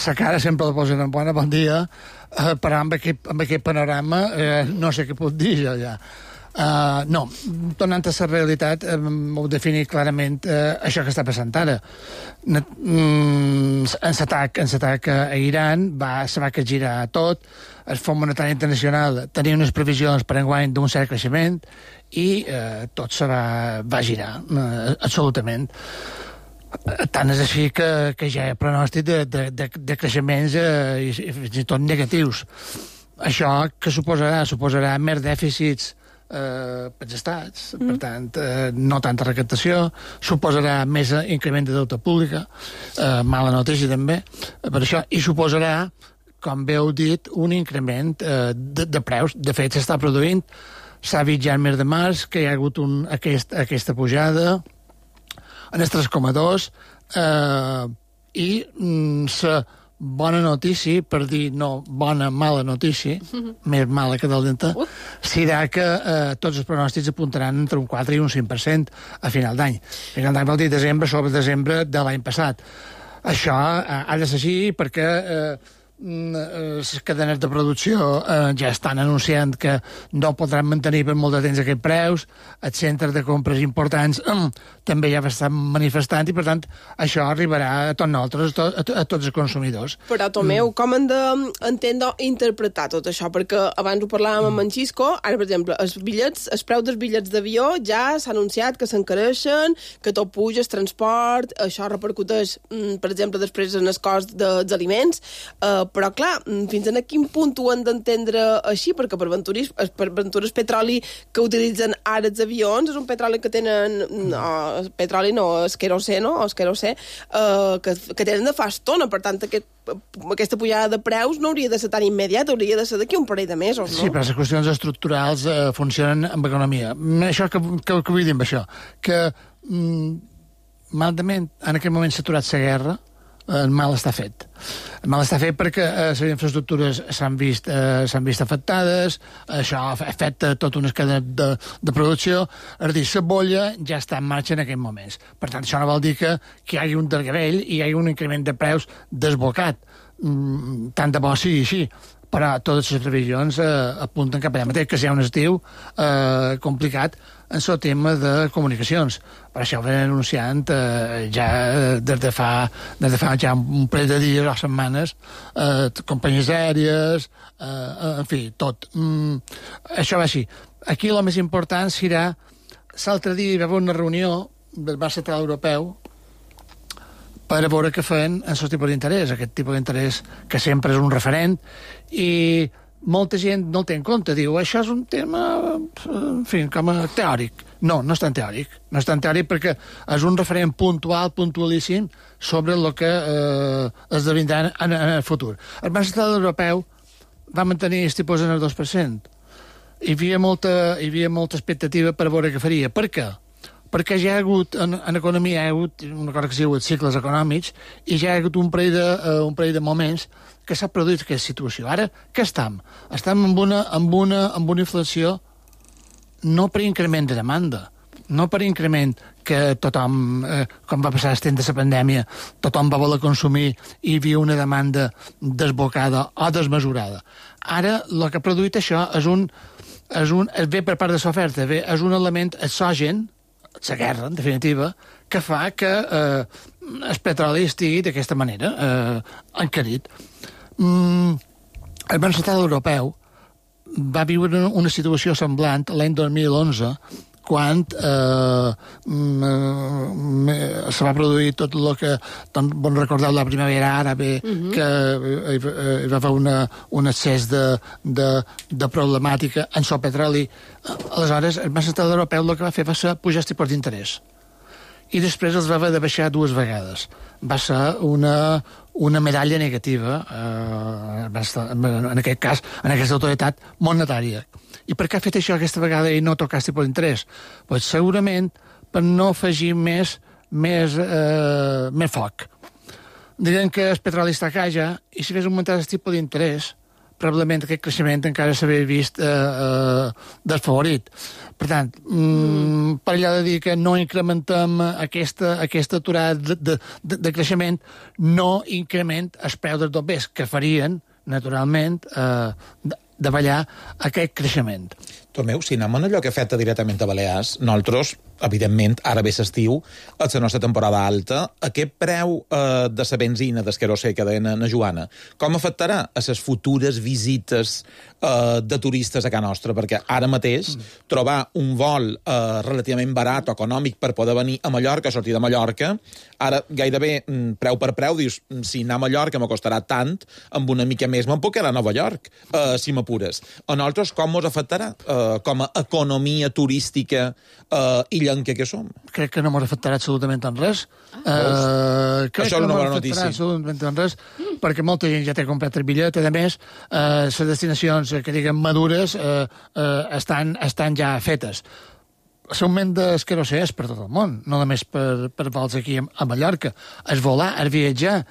[SPEAKER 16] La cara sempre la posen en bona, bon dia, però amb aquest panorama no sé què puc dir jo ja. No, tornant a la realitat, ho definir clarament això que està passant ara. En l'atac a Iran se va capgirar tot, el Fons Monetari Internacional tenia unes previsions per enguany d'un cert creixement i tot se va girar, absolutament. Tant és així que ja hi ha pronòstic de creixements i fins i tot negatius. Això que suposarà més dèficits pels estats, per tant, no tanta recaptació, suposarà més increment de deute pública, mala notícia també, per això, i suposarà, com bé heu dit, un increment de preus. De fet, s'està produint, s'ha vist ja el mes de març, que hi ha hagut aquesta pujada en el 3,2 i la bona notícia, per dir no bona, mala notícia, més mala que dolenta, serà que tots els pronòstics apuntaran entre un 4 i un 5% a final d'any. A final d'any vol dir desembre sobre desembre de l'any passat. Això ha de ser així perquè les cadenes de producció ja estan anunciant que no podran mantenir per molt de temps aquests preus, els centres de compres importants també ja estan manifestant i, per tant, això arribarà a tots nosaltres, a tots els consumidors.
[SPEAKER 5] Però, Tomeu, com hem d'entendre o interpretar tot això? Perquè abans ho parlàvem amb en Xisco, ara, per exemple, els preus dels bitllets d'avió ja s'ha anunciat que s'encareixen, que tot puja, el transport, això repercuteix, per exemple, després en el cost dels aliments, però, clar, fins a quin punt ho han d'entendre així? Perquè per Ventures Petroli que utilitzen ara els avions és un petroli que tenen... és querosè, no? És querosè, que tenen de fa estona. Per tant, aquesta pujada de preus no hauria de ser tan immediata, hauria de ser d'aquí un parell de mesos, no?
[SPEAKER 16] Sí, però les qüestions estructurals funcionen amb economia. Això que vull dir amb això? Que, malament, en aquest moment s'ha aturat la guerra, el mal està fet. El mal està fet perquè les infraestructures s'han vist afectades, això afecta tota una cadena de producció, és a dir, la bolla ja està en marxa en aquests moments. Per tant, això no vol dir que hi hagi un desgavell i hi hagi un increment de preus desbocat. Tant de bo sigui així, però totes les previsions apunten cap allà mateix, que serà un estiu complicat en el tema de comunicacions. Per això ho vam anunciant ja des de fa ja un parell de dies o setmanes, companyies aèries, en fi, tot. Això va així. Aquí el més important serà, l'altre dia hi va haver una reunió del Banc Central Europeu per a veure què feien en el tipus d'interès, aquest tipus d'interès que sempre és un referent, i molta gent no el té en compte, diu, això és un tema, en fi, com a teòric. No és tan teòric. No és tan teòric perquè és un referent puntualíssim sobre el que esdevindrà en el futur. El Banc Central Europeu va mantenir els tipus en el 2%. Hi havia molta expectativa per veure què faria. Per què? Perquè ja hi ha hagut, en economia hi ha hagut una cosa que s'ha hagut cicles econòmics i ja hi ha hagut un parell de moments que s'ha produït aquesta situació. Ara, què estem? Estem amb una inflació no per increment de demanda, no per increment que tothom, com va passar el temps de la pandèmia, tothom va voler consumir i hi havia una demanda desbocada o desmesurada. Ara, el que ha produït això ve per part de l'oferta, és un element exògen, la guerra, en definitiva, que fa que el petroli estigui d'aquesta manera encarit. El Banc Central Europeu va viure una situació semblant l'any 2011, quan se va produir tot el que bon recordeu la primavera àrabe, que hi va haver un excés de problemàtica en el petroli. Aleshores, el Banc Central Europeu el que va fer va ser pujar els tipus d'interès. I després els va haver de baixar 2 vegades. Va ser una medalla negativa, en aquest cas, en aquesta autoritat monetària. I per què ha fet això aquesta vegada i no tocar el tipus d'interès? Pues segurament per no afegir més foc. Diguem que el petroli està a casa i si fes augmentar el tipus d'interès, probablement aquest creixement encara s'havia vist desfavorit. Per tant, per allò de dir que no incrementem aquesta aturada de creixement, no increment els preus dels bombers, que farien, naturalment, davallar aquest creixement.
[SPEAKER 6] Tomeu, si anem en allò que afecta directament a Balears, nosaltres, evidentment, ara ve l'estiu, a la nostra temporada alta, aquest preu de la benzina, del querosè que deien a Joana, com afectarà a les futures visites de turistes a casa nostra? Perquè ara mateix trobar un vol relativament barat o econòmic per poder venir a Mallorca, sortir de Mallorca, ara gairebé preu per preu, dius, si anar a Mallorca m'acostarà tant, amb una mica més me'n puc anar a Nova York, si m'apures. A nosaltres com ens afectarà com a economia turística illenca que som?
[SPEAKER 16] Crec que no m'ha afectarà absolutament en res.
[SPEAKER 6] Això és una bona notícia.
[SPEAKER 16] Absolutament en res, perquè molta gent ja té comprat el bitllet. A més, les destinacions que diguem madures estan ja fetes. L'augment del querosè és per tot el món, no només per vols aquí a Mallorca. El volar, el viatjar,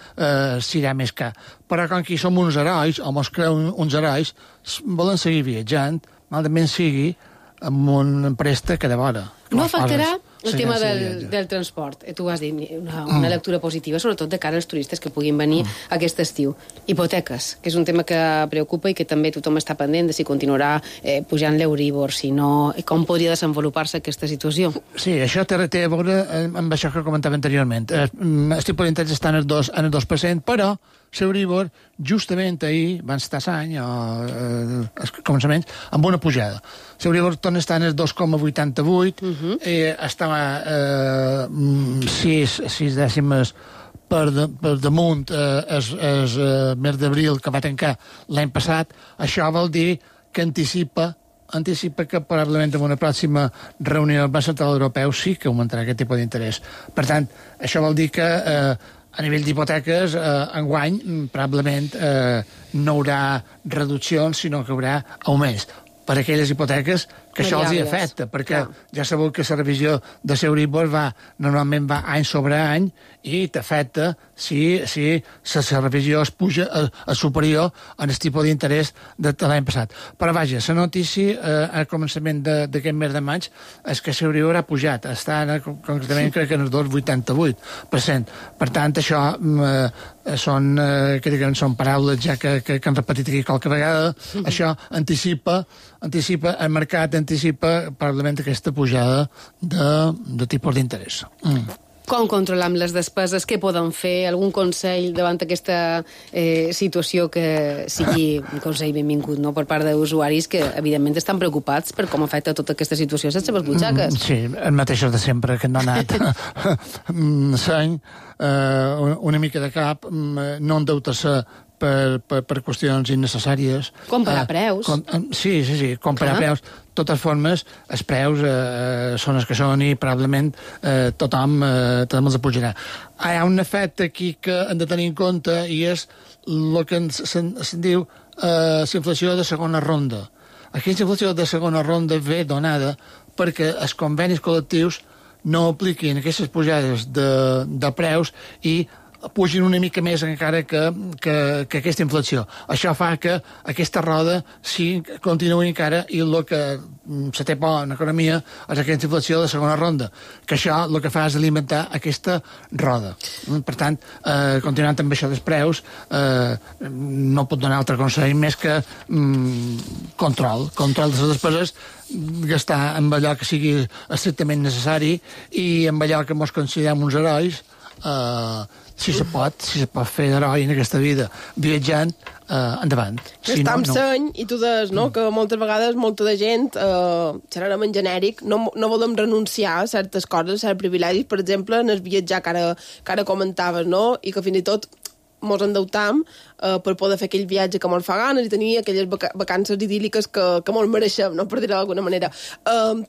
[SPEAKER 16] serà més car. Però com que som uns herois, o mos creuen uns herois, volen seguir viatjant, malament sigui amb un préstec de vora.
[SPEAKER 4] No afectarà el tema del transport. Tu has dit una lectura positiva, sobretot de cara als turistes que puguin venir aquest estiu. Hipoteques, que és un tema que preocupa i que també tothom està pendent de si continuarà pujant l'Euríbor, si no, com podria desenvolupar-se aquesta situació.
[SPEAKER 16] Sí, això té a veure amb això que comentava anteriorment. El tipus d'interès està en el 2%, però l'Euríbor, justament ahir, abans de l'any, o començaments, amb una pujada. L'Euríbor torna a estar en el 2,88, estava 6 dècimes per damunt el mes d'abril que va tancar l'any passat. Això vol dir que anticipa que probablement en una pròxima reunió del Banc Central Europeu sí que augmentarà aquest tipus d'interès. Per tant, això vol dir que a nivell d'hipoteques, enguany, probablement no hi haurà reduccions, sinó que hi haurà augments per aquelles hipoteques que això els hi afecta, perquè ja sabeu que la revisió de l'Euríbor normalment va any sobre any i t'afecta si la revisió es puja a superior en el tipus d'interès de l'any passat. Però vaja, la notícia al començament d'aquest mes de maig és que l'Euríbor ha pujat, està concretament crec que en el 2,88%. Per tant, això són paraules ja que han repetit aquí qualque vegada. Això anticipa el mercat, anticipa probablement aquesta pujada de tipus d'interès.
[SPEAKER 4] Com controlam les despeses? Què podem fer? Algun consell davant aquesta situació que sigui un consell benvingut, no?, per part d'usuaris que, evidentment, estan preocupats per com afecta tota aquesta situació a les seves butxaques.
[SPEAKER 16] Sí, el mateix de sempre, que no ha anat seny, una mica de cap, no endeutar-se per qüestions innecessàries.
[SPEAKER 4] Comparar preus.
[SPEAKER 16] Sí, comparar preus. De totes formes, els preus són els que són i probablement tothom els apujarà. Hi ha un efecte aquí que hem de tenir en compte i és el que se'n diu la inflació de segona ronda. Aquesta inflació de segona ronda ve donada perquè els convenis col·lectius no apliquin aquestes pujades de preus i pugin una mica més encara que aquesta inflació. Això fa que aquesta roda continuï encara i el que se té por en economia és aquesta inflació de segona ronda, que això el que fa és alimentar aquesta roda. Per tant, continuant amb això dels preus, no pot donar altre consell més que control de les despeses, gastar amb allò que sigui estrictament necessari i amb allò que ens considerem uns herois, si se pot fer d'heroi en aquesta vida viatjant, endavant.
[SPEAKER 5] Està amb seny, i tu deies, no?, que moltes vegades molta de gent, xerrarem en genèric, no volem renunciar a certes coses, a certs privilegis, per exemple, en el viatjar que ara comentaves, no?, i que fins i tot mos endeutam per poder fer aquell viatge que mos fa ganes i tenir aquelles vacances idíl·liques que mos mereixem, no?, per dir-ho d'alguna manera.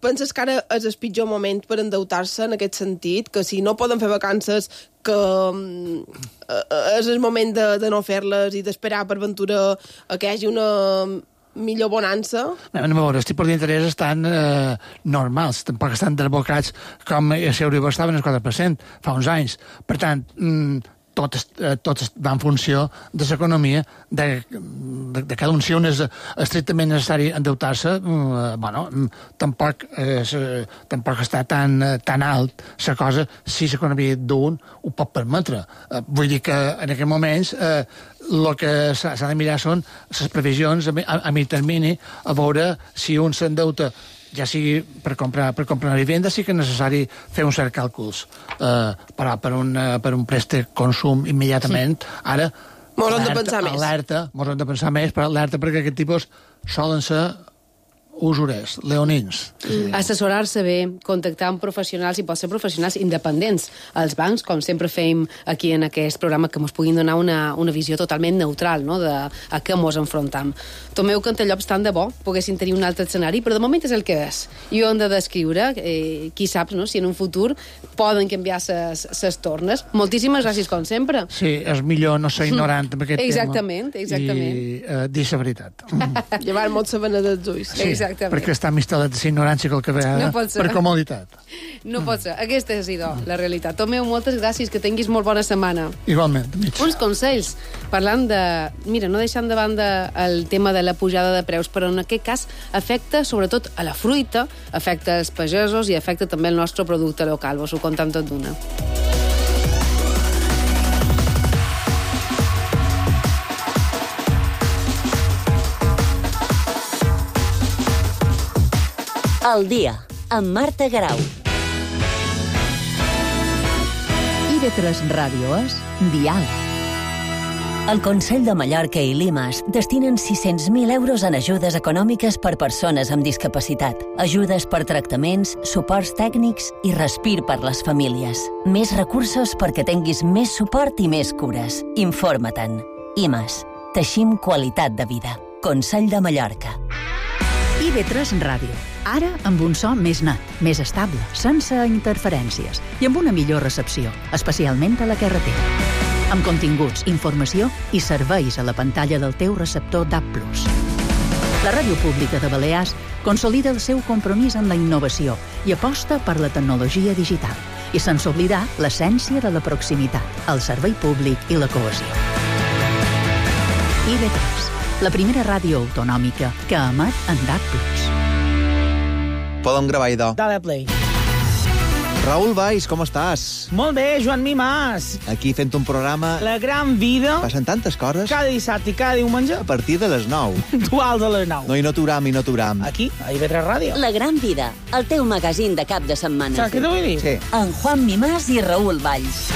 [SPEAKER 5] Penses que ara és el pitjor moment per endeutar-se en aquest sentit? Que si no poden fer vacances, que és el moment de no fer-les i d'esperar per ventura que hi hagi una millor bonança?
[SPEAKER 16] A veure, els tipus d'interès estan normals, tampoc estan desbocats com a Euribor estaven al 4% fa uns anys. Per tant, tot va en funció de l'economia, de cada un. Si un és estrictament necessari endeutar-se, tampoc està tan alt la cosa si l'economia d'un ho pot permetre. Vull dir que en aquests moments el que s'ha de mirar són les previsions a mig termini, a veure si un s'endeuta ja sigui per comprar una vivenda, sí que és necessari fer uns certs càlculs. Però per un préstec consum immediatament, ara
[SPEAKER 5] mos hem de pensar més,
[SPEAKER 16] però alerta perquè aquest tipus solen ser usurers, leonins.
[SPEAKER 4] Assessorar-se bé, contactar amb professionals, i pot ser professionals independents. Els bancs, com sempre fem aquí en aquest programa, que ens puguin donar una visió totalment neutral, no?, de a què ens enfrontam. Tomeu Cantallops, tant de bo poguessin tenir un altre escenari, però de moment és el que és. I ho hem de descriure, qui sap, no?, si en un futur poden canviar ses tornes. Moltíssimes gràcies, com sempre.
[SPEAKER 16] Sí, és millor no ser ignorant en aquest
[SPEAKER 4] tema. Exactament.
[SPEAKER 16] I dir la veritat.
[SPEAKER 5] Llevar molt sabana dels ulls.
[SPEAKER 16] Sí. Exactament. Perquè està instal·lat la ignorància que ve per comoditat.
[SPEAKER 4] No pot ser. Aquesta és, la realitat. Tomeu, moltes gràcies, que tinguis molt bona setmana.
[SPEAKER 16] Igualment.
[SPEAKER 4] Uns consells, parlant de... Mira, no deixant de banda el tema de la pujada de preus, però en aquest cas afecta sobretot a la fruita, afecta als pagesos i afecta també el nostre producte local. Vos ho contam tot d'una.
[SPEAKER 3] El dia, amb Marta Garau.
[SPEAKER 2] IB3 Ràdio és Dial.
[SPEAKER 3] El Consell de Mallorca i Limas destinen 600.000 euros en ajudes econòmiques per persones amb discapacitat, ajudes per tractaments, suports tècnics i respir per les famílies. Més recursos perquè tinguis més suport i més cures. Informa-te'n. IMAS. Teixim qualitat de vida. Consell de Mallorca.
[SPEAKER 2] IB3 Ràdio. Ara amb un so més net, més estable, sense interferències i amb una millor recepció, especialment a la carretera. Amb continguts, informació i serveis a la pantalla del teu receptor DAB+. La Ràdio Pública de Balears consolida el seu compromís amb la innovació i aposta per la tecnologia digital, i sense oblidar l'essència de la proximitat, el servei públic i la cohesió. IB3, la primera ràdio autonòmica que emet en DAB+.
[SPEAKER 17] Podem gravar, idò.
[SPEAKER 18] Dale play.
[SPEAKER 17] Raül Valls, com estàs?
[SPEAKER 18] Molt bé, Joan Mimàs.
[SPEAKER 17] Aquí fent un programa...
[SPEAKER 18] La gran vida.
[SPEAKER 17] Passen tantes coses.
[SPEAKER 18] Cada dissabte i cada diumenge.
[SPEAKER 17] A partir de les 9.
[SPEAKER 18] Dual de les 9.
[SPEAKER 17] No, i no t'uram.
[SPEAKER 18] Aquí, a IB3 Ràdio.
[SPEAKER 3] La gran vida, el teu magazín de cap de setmana.
[SPEAKER 18] Saps què t'ho vull dir?
[SPEAKER 17] Sí.
[SPEAKER 3] En Juan Mimàs i Raül Valls.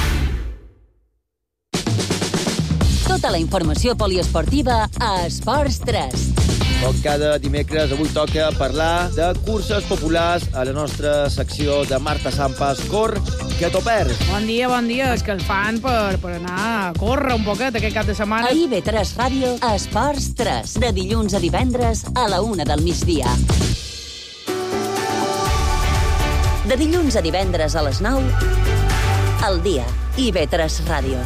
[SPEAKER 3] Tota la informació poliesportiva a Esports 3.
[SPEAKER 19] Com cada dimecres, avui toca parlar de curses populars a la nostra secció de Marta Sampas. Cor, que t'ho perds.
[SPEAKER 11] Bon dia, és que el fan per anar a córrer un poquet aquest cap de setmana.
[SPEAKER 3] A IB3 Ràdio, a Esports 3, de dilluns a divendres a la 1 del migdia. De dilluns a divendres a les 9, al dia, IB3 Ràdio.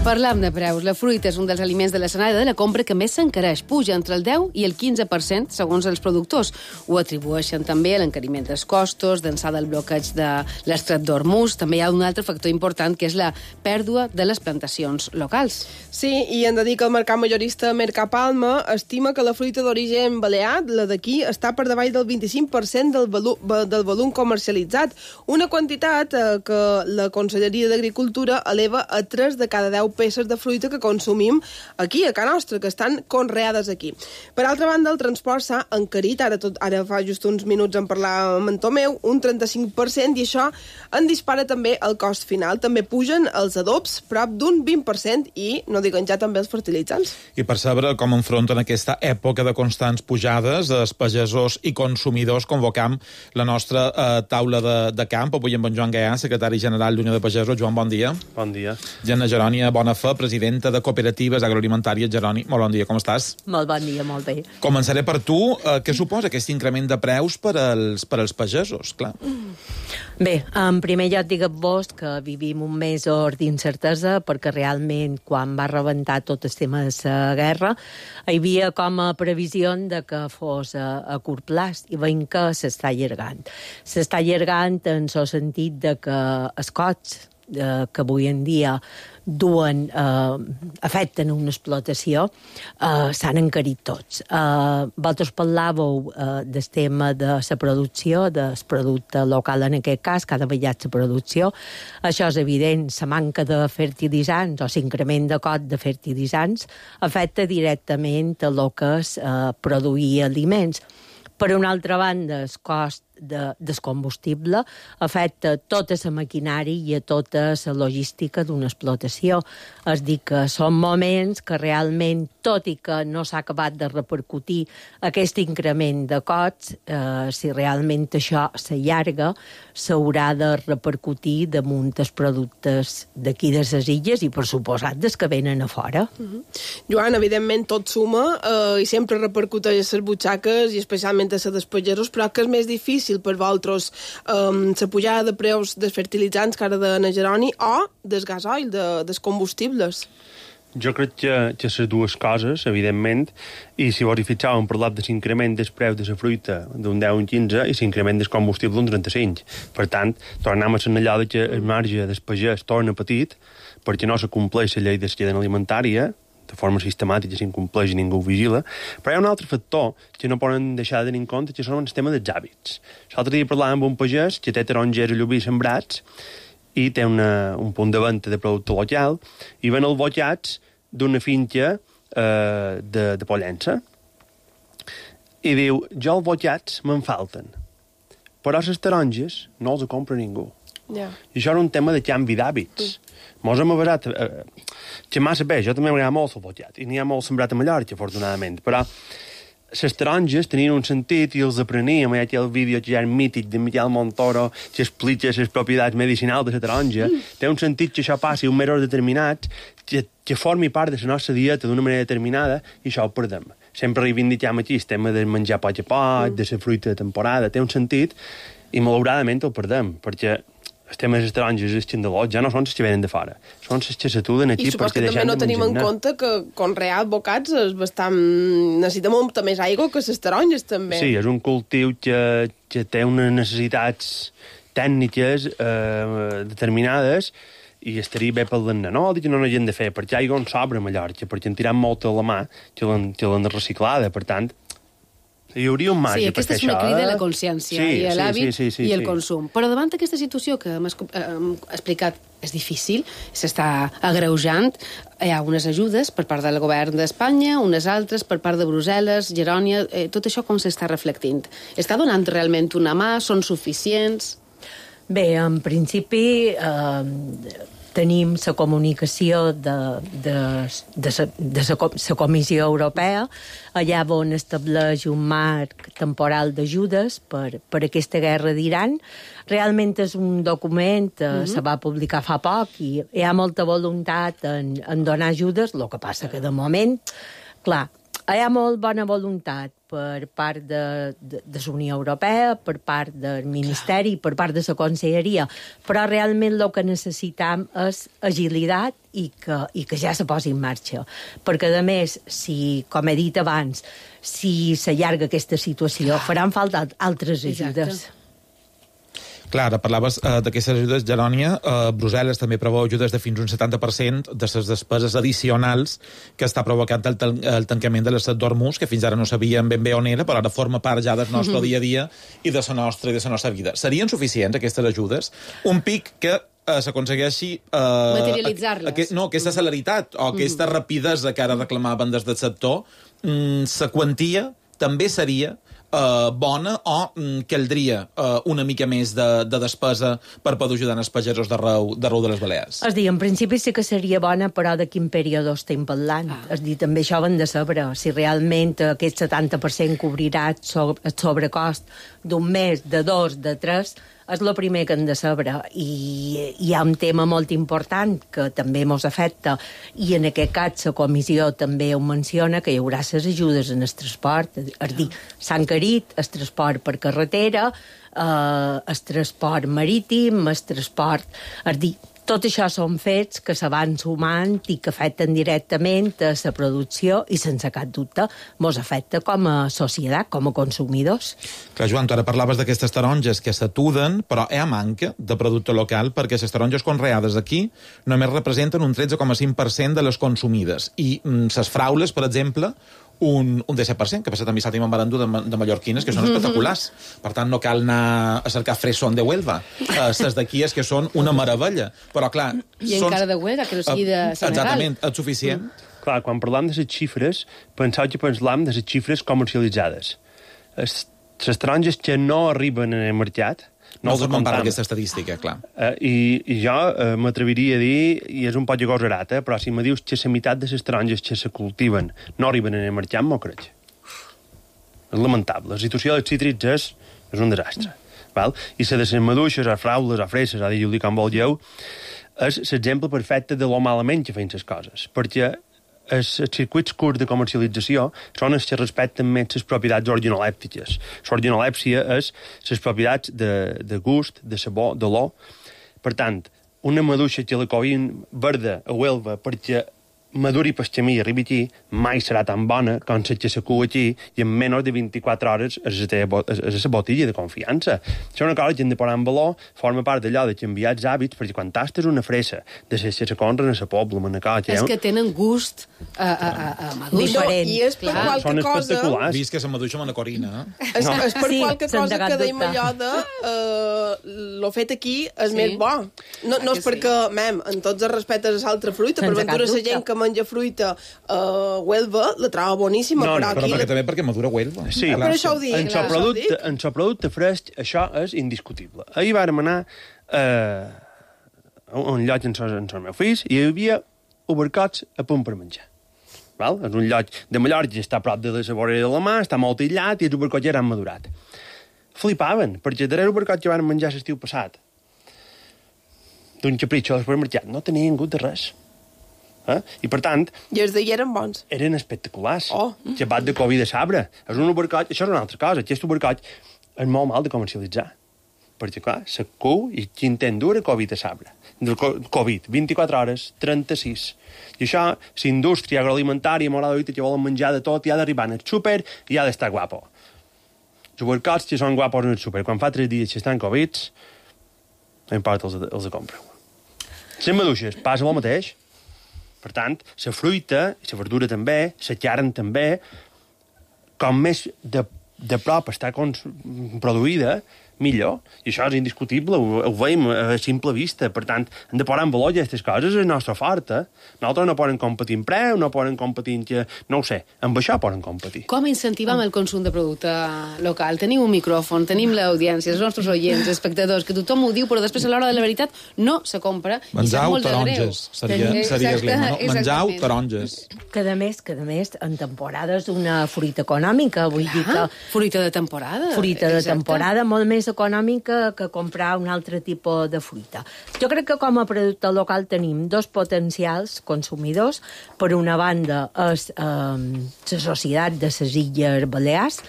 [SPEAKER 4] Parlam de preus. La fruita és un dels aliments de l'escenari de la compra que més s'encareix. Puja entre el 10 i el 15%, segons els productors. Ho atribueixen també a l'encariment dels costos, d'ençà del bloqueig de l'estret d'Hormuz. També hi ha un altre factor important, que és la pèrdua de les plantacions locals.
[SPEAKER 5] Sí, i hem de dir que el mercat majorista Mercapalma estima que la fruita d'origen balear, la d'aquí, està per davall del 25% del volum comercialitzat. Una quantitat que la Conselleria d'Agricultura eleva a 3 de cada 10 peces de fruita que consumim aquí, a casa nostra, que estan conreades aquí. Per altra banda, el transport s'ha encarit, ara fa just uns minuts en parlàvem amb en Tomeu, un 35%, i això en dispara també el cost final. També pugen els adobs, prop d'un 20%, i no diguen ja també els fertilitzants.
[SPEAKER 6] I per saber com enfronten aquesta època de constants pujades, els pagesos i consumidors, convocam la nostra taula de camp, avui amb en Joan Gaià, secretari general d'Unió de Pagesos. Joan, bon dia.
[SPEAKER 13] Bon dia.
[SPEAKER 6] Gemma Gerònia Bona Fe, presidenta de Cooperatives Agroalimentàries. Geroni, molt bon dia, com estàs?
[SPEAKER 20] Molt bon dia, molt bé.
[SPEAKER 6] Començaré per tu. Què suposa aquest increment de preus per als pagesos? Clar.
[SPEAKER 20] Bé, en primer lloc diguem-vos que vivim un mes d'incertesa, perquè realment quan va rebentar tot el tema de la guerra hi havia com a previsió de que fos a curt plaç, i veiem que s'està allargant. S'està allargant en el sentit de que els costs que avui en dia afecten una explotació, s'han encarit tots. Vosaltres parlàveu del tema de la producció, del producte local en aquest cas, que ha davallat la producció. Això és evident, la manca de fertilitzants o l'increment de cost de fertilitzants afecta directament el que és produir aliments. Per una altra banda, el cost del combustible afecta tota la maquinària i a tota la logística d'una explotació. És dir, que són moments que realment, tot i que no s'ha acabat de repercutir aquest increment de costs, si realment això s'allarga, s'haurà de repercutir damunt els productes d'aquí de les illes i, per suposat, dels que venen a fora.
[SPEAKER 5] Joan, evidentment tot suma i sempre repercuteix a les butxaques i especialment a les dels pagesos, però que és més difícil per vosaltres la pujada de preus dels fertilitzants que ara de Geroni o del gasoil, dels combustibles?
[SPEAKER 13] Jo crec que les dues coses, evidentment, i si vos hi fixeu, hem parlat de l'increment dels preus de la fruita d'un 10 a un 15 i l'increment del combustible d'un 35. Per tant, tornem a assenyalar que el marge del pagès torna petit perquè no se compleix la llei de la cadena alimentària, de forma sistemàtica s'incompleix i ningú ho vigila, però hi ha un altre factor que no poden deixar de tenir en compte, que són el tema dels hàbits. L'altre dia parlàvem amb un pagès que té tarongers a Llubí sembrats i té un punt de venda de producte local i ven els botllats d'una finca de Pollença. I diu, jo els botllats me'n falten, però les taronges no els compra ningú.
[SPEAKER 5] Yeah.
[SPEAKER 13] I això era un tema de canvi d'hàbits. Mos hem abarat que massa bé, jo també m'agrada molt el botllat, i n'hi ha molt sembrat a Mallorca, afortunadament, però les taronges tenien un sentit i els apreníem. Hi ha aquí el vídeo que ja és mític de Miquel Montoro que explica les propietats medicinals de la taronja. Té un sentit que això passi un mesos determinats, que formi part de la nostra dieta d'una manera determinada, i això ho perdem. Sempre reivindiquem aquí el tema de menjar poc a poc, de la fruita de temporada, té un sentit, i malauradament el perdem, perquè els temes dels taronges i els xandalot ja no són els que venen de fora, són els que s'atuden aquí.
[SPEAKER 5] I supos que també no tenim en compte que conrear bocats és bastant... necessita molta més aigua que les taronges, també.
[SPEAKER 13] Sí, és un cultiu que té unes necessitats tècniques determinades i estaria bé pel no dic que no n'hagin de fer, perquè aigua en sobra a Mallorca, perquè en tiram molta a la mà que l'han reciclada, per tant hi hauria un marge per fer això.
[SPEAKER 4] Aquesta és una crida a la consciència i a l'hàbit i el consum. Però davant d'aquesta situació que hem explicat és difícil, s'està agreujant, hi ha unes ajudes per part del govern d'Espanya, unes altres per part de Brussel·les, Gerònia, tot això com s'està reflectint? Està donant realment una mà? Són suficients?
[SPEAKER 20] Bé, en principi tenim la comunicació de la Comissió Europea, allà on estableix un marc temporal d'ajudes per aquesta guerra d'Iran. Realment és un document que se va publicar fa poc i hi ha molta voluntat en donar ajudes, el que passa que de moment, clar, Hi ha molt bona voluntat per part de la Unió Europea, per part del Ministeri, per part de la Conselleria, però realment el que necessitam és agilitat i que ja se posi en marxa. Perquè, a més, si, com he dit abans, si s'allarga aquesta situació, faran falta altres ajudes.
[SPEAKER 4] Exacte.
[SPEAKER 6] Clar, ara parlaves d'aquestes ajudes, Gerònia. Brussel·les també preveu ajudes de fins un 70% de les despeses addicionals que està provocant el tancament de l'estat d'Hormuz, que fins ara no sabíem ben bé on era, però ara forma part ja del nostre dia a dia i de la nostra vida. Serien suficients aquestes ajudes? Un pic que s'aconsegueixi...
[SPEAKER 4] materialitzar-les.
[SPEAKER 6] Aquesta celeritat o aquesta rapidesa que ara reclamaven des del sector, la quantia també seria bona o caldria una mica més de despesa per poder ajudar els pagesos d'arreu de les Balears?
[SPEAKER 20] És dir, en principi sí que seria bona, però de quin període estem parlant? És dir, també això ho hem de saber. Si realment aquest 70% cobrirà el sobrecost d'un mes, de 2, de 3, és el primer que hem de saber. I hi ha un tema molt important que també ens afecta, i en aquest cas la comissió també ho menciona, que hi haurà les ajudes en el transport. És dir, s'ha encarit el transport per carretera, el transport marítim, el transport... És dir, tot això són fets que se van sumant i que afecten directament a la producció i, sense cap dubte, ens afecta com a societat, com a consumidors.
[SPEAKER 6] Clar, Joan, tu ara parlaves d'aquestes taronges que s'atuden, però hi ha manca de producte local perquè les taronges conreades aquí només representen un 13,5% de les consumides. I les fraules, per exemple, un 17%, que passa també s'ha tingut barandú de mallorquines, que són espectaculars. Per tant, no cal anar a cercar fresón de Huelva. Les d'aquí és que són una meravella. Però, clar...
[SPEAKER 4] I encara de Huelva, que no sigui de Senegal.
[SPEAKER 6] Exactament, és suficient.
[SPEAKER 13] Clar, quan parlam de les xifres, penseu que parlam de les xifres comercialitzades. Les taronges que no arriben en el mercat,
[SPEAKER 6] no formen part d'aquesta estadística, clar.
[SPEAKER 13] I jo m'atreviria a dir, i és un poc agosarat, però si me dius que la meitat de les taronges que se cultiven no arriben en el mercat, m'ho crec. És lamentable. La situació dels cítrics és un desastre. Val? I la de les maduixes, o fraules, o fresses, o dir-li com vulgueu, és l'exemple perfecte de lo malament que feien les coses. Perquè els circuits curts de comercialització són els que respecten més les propietats organolèptiques. L'organolèpsia és les propietats de gust, de sabor, d'olor. Per tant, una maduixa que la coguin verda a Huelva perquè maduri pel camí i arribi aquí, mai serà tan bona com la que s'acua aquí i en menys de 24 hores és la botella de confiança. Això és una cosa que hem de posar en valor, forma part d'allò de canviar els hàbits, perquè quan tastes una fresa de les que se conren a la pobla,
[SPEAKER 4] és que tenen gust a maduixa.
[SPEAKER 5] Diferent. I és per qualque cosa...
[SPEAKER 6] Vist que se maduixa amb una corina.
[SPEAKER 5] És per qualque cosa que deim allò de lo fet aquí és més bo. No és perquè, en tots els respectes a l'altra fruita, per ventura la gent que menja fruita a Huelva la troba boníssima, però aquí...
[SPEAKER 6] Però també perquè madura Huelva.
[SPEAKER 13] Sí,
[SPEAKER 5] per això ho dic.
[SPEAKER 13] En el producte fresc això és indiscutible. Ahir vàrem anar a un lloc amb els meus fills i hi havia obercots a punt per menjar. Val? És un lloc de Mallorca que està a prop de la vorera de la mà, està molt aïllat i els obercots ja han madurat. Flipaven, perquè el darrer obercot que van menjar l'estiu passat d'un capritxo al supermercat no tenien gust de res. I per tant...
[SPEAKER 5] I els d'ahir eren bons.
[SPEAKER 13] Eren espectaculars. Llevat de Covid de sabre. És un obercoll, això és una altra cosa. Aquest obercoll és molt mal de comercialitzar. Perquè, clar, s'acou i quin dura Covid de sabre. Covid, 24 hores, 36. I això, la indústria agroalimentària, morada d'ahorita, que volen menjar de tot, i ha d'arribar al súper i ha d'estar guapo. Els obercots que són guapos en el súper, quan fa 3 dies que estan Covids, no importa, els compreu. Les maduixes, passa el mateix. Per tant, la fruita, la verdura també, la carn també, com més de prop està produïda, millor. I això és indiscutible, ho veiem a simple vista. Per tant, hem de posar en valor aquestes coses, és el nostre fort. Nosaltres no poden competir en preu, no poden competir en... No ho sé, amb això poden competir.
[SPEAKER 4] Com incentivem el consum de producte local? Tenim un micròfon, tenim l'audiència, els nostres oients, els espectadors, que tothom ho diu, però després a l'hora de la veritat no se compra.
[SPEAKER 6] Menjau taronges, seria el lema, no? Menjau taronges.
[SPEAKER 20] Cada mes, en temporada és una fruita econòmica, vull dir que...
[SPEAKER 4] Fruita de temporada.
[SPEAKER 20] Fruita de temporada, molt més més econòmica que comprar un altre tipus de fruita. Jo crec que com a producte local tenim dos potencials consumidors. Per una banda és la Societat de les Illes Balears,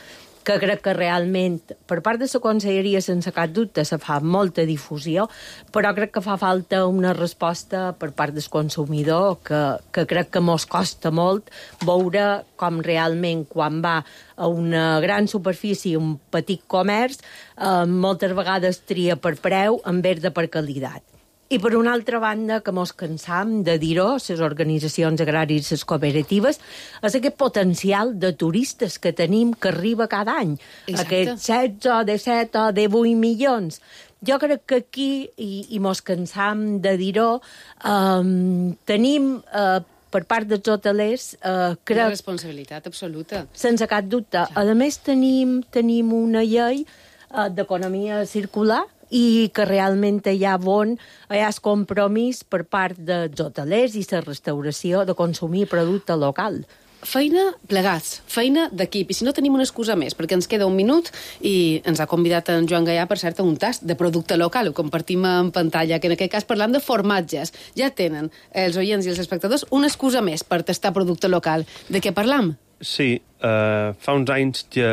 [SPEAKER 20] que crec que realment, per part de la Conselleria, sense cap dubte, se fa molta difusió, però crec que fa falta una resposta per part del consumidor que crec que mos costa molt veure com realment quan va a una gran superfície, un petit comerç, moltes vegades tria per preu en vez de per qualitat. I per una altra banda, que mos cansam de dir-ho, les organitzacions agràries, les cooperatives, és aquest potencial de turistes que tenim que arriba cada any.
[SPEAKER 4] Exacte.
[SPEAKER 20] Aquests 16 o 17 o 18 milions. Jo crec que aquí, i mos cansam de dir-ho, tenim... per part dels hotelers, crec...
[SPEAKER 4] Una responsabilitat absoluta.
[SPEAKER 20] Sense cap dubte. A més, tenim una llei d'economia circular i que realment hi ha el compromís per part dels hotelers i la restauració de consumir producte local.
[SPEAKER 4] Feina plegats, feina d'equip. I si no, tenim una excusa més, perquè ens queda un minut i ens ha convidat en Joan Gaià, per cert, a un tast de producte local. Ho compartim en pantalla, que en aquest cas parlam de formatges. Ja tenen els oients i els espectadors una excusa més per tastar producte local. De què parlam?
[SPEAKER 13] Sí, fa uns anys que...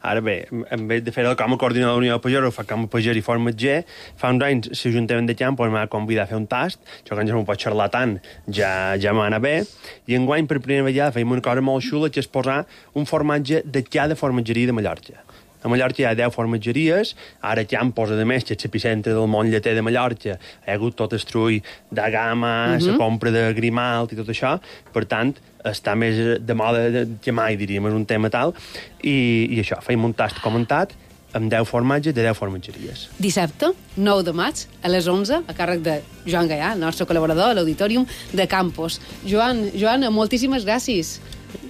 [SPEAKER 13] Ara bé, en vez de fer el com a coordinador d'Unió de Pagès, ho fa com a pagès i formatger. Fa uns anys l'Ajuntament de Camp m'ha convidat a fer un tast, això que ja no ho pot xerrar tant, ja m'anava bé, i enguany per primera vegada fèiem una cosa molt xula, que és posar un formatge de cada formatgeria de Mallorca. A Mallorca hi ha 10 formatgeries, ara Camp posa de més que l'epicentre del món lleter de Mallorca. Hi ha hagut tot el trull de gamma, la compra de Grimalt i tot això, per tant, està més de moda que mai, diríem, és un tema tal, i això, feim un tast comentat amb 10 formatges de 10 formatgeries.
[SPEAKER 4] Dissabte, 9 de maig, a les 11, a càrrec de Joan Gaià, el nostre col·laborador a l'Auditorium de Campos. Joan, moltíssimes gràcies.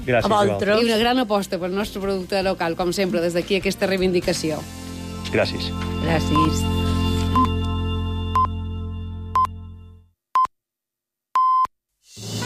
[SPEAKER 13] Gràcies, a vosaltres.
[SPEAKER 4] I una gran aposta pel nostre producte local, com sempre, des d'aquí aquesta reivindicació.
[SPEAKER 13] Gràcies.
[SPEAKER 20] Gràcies.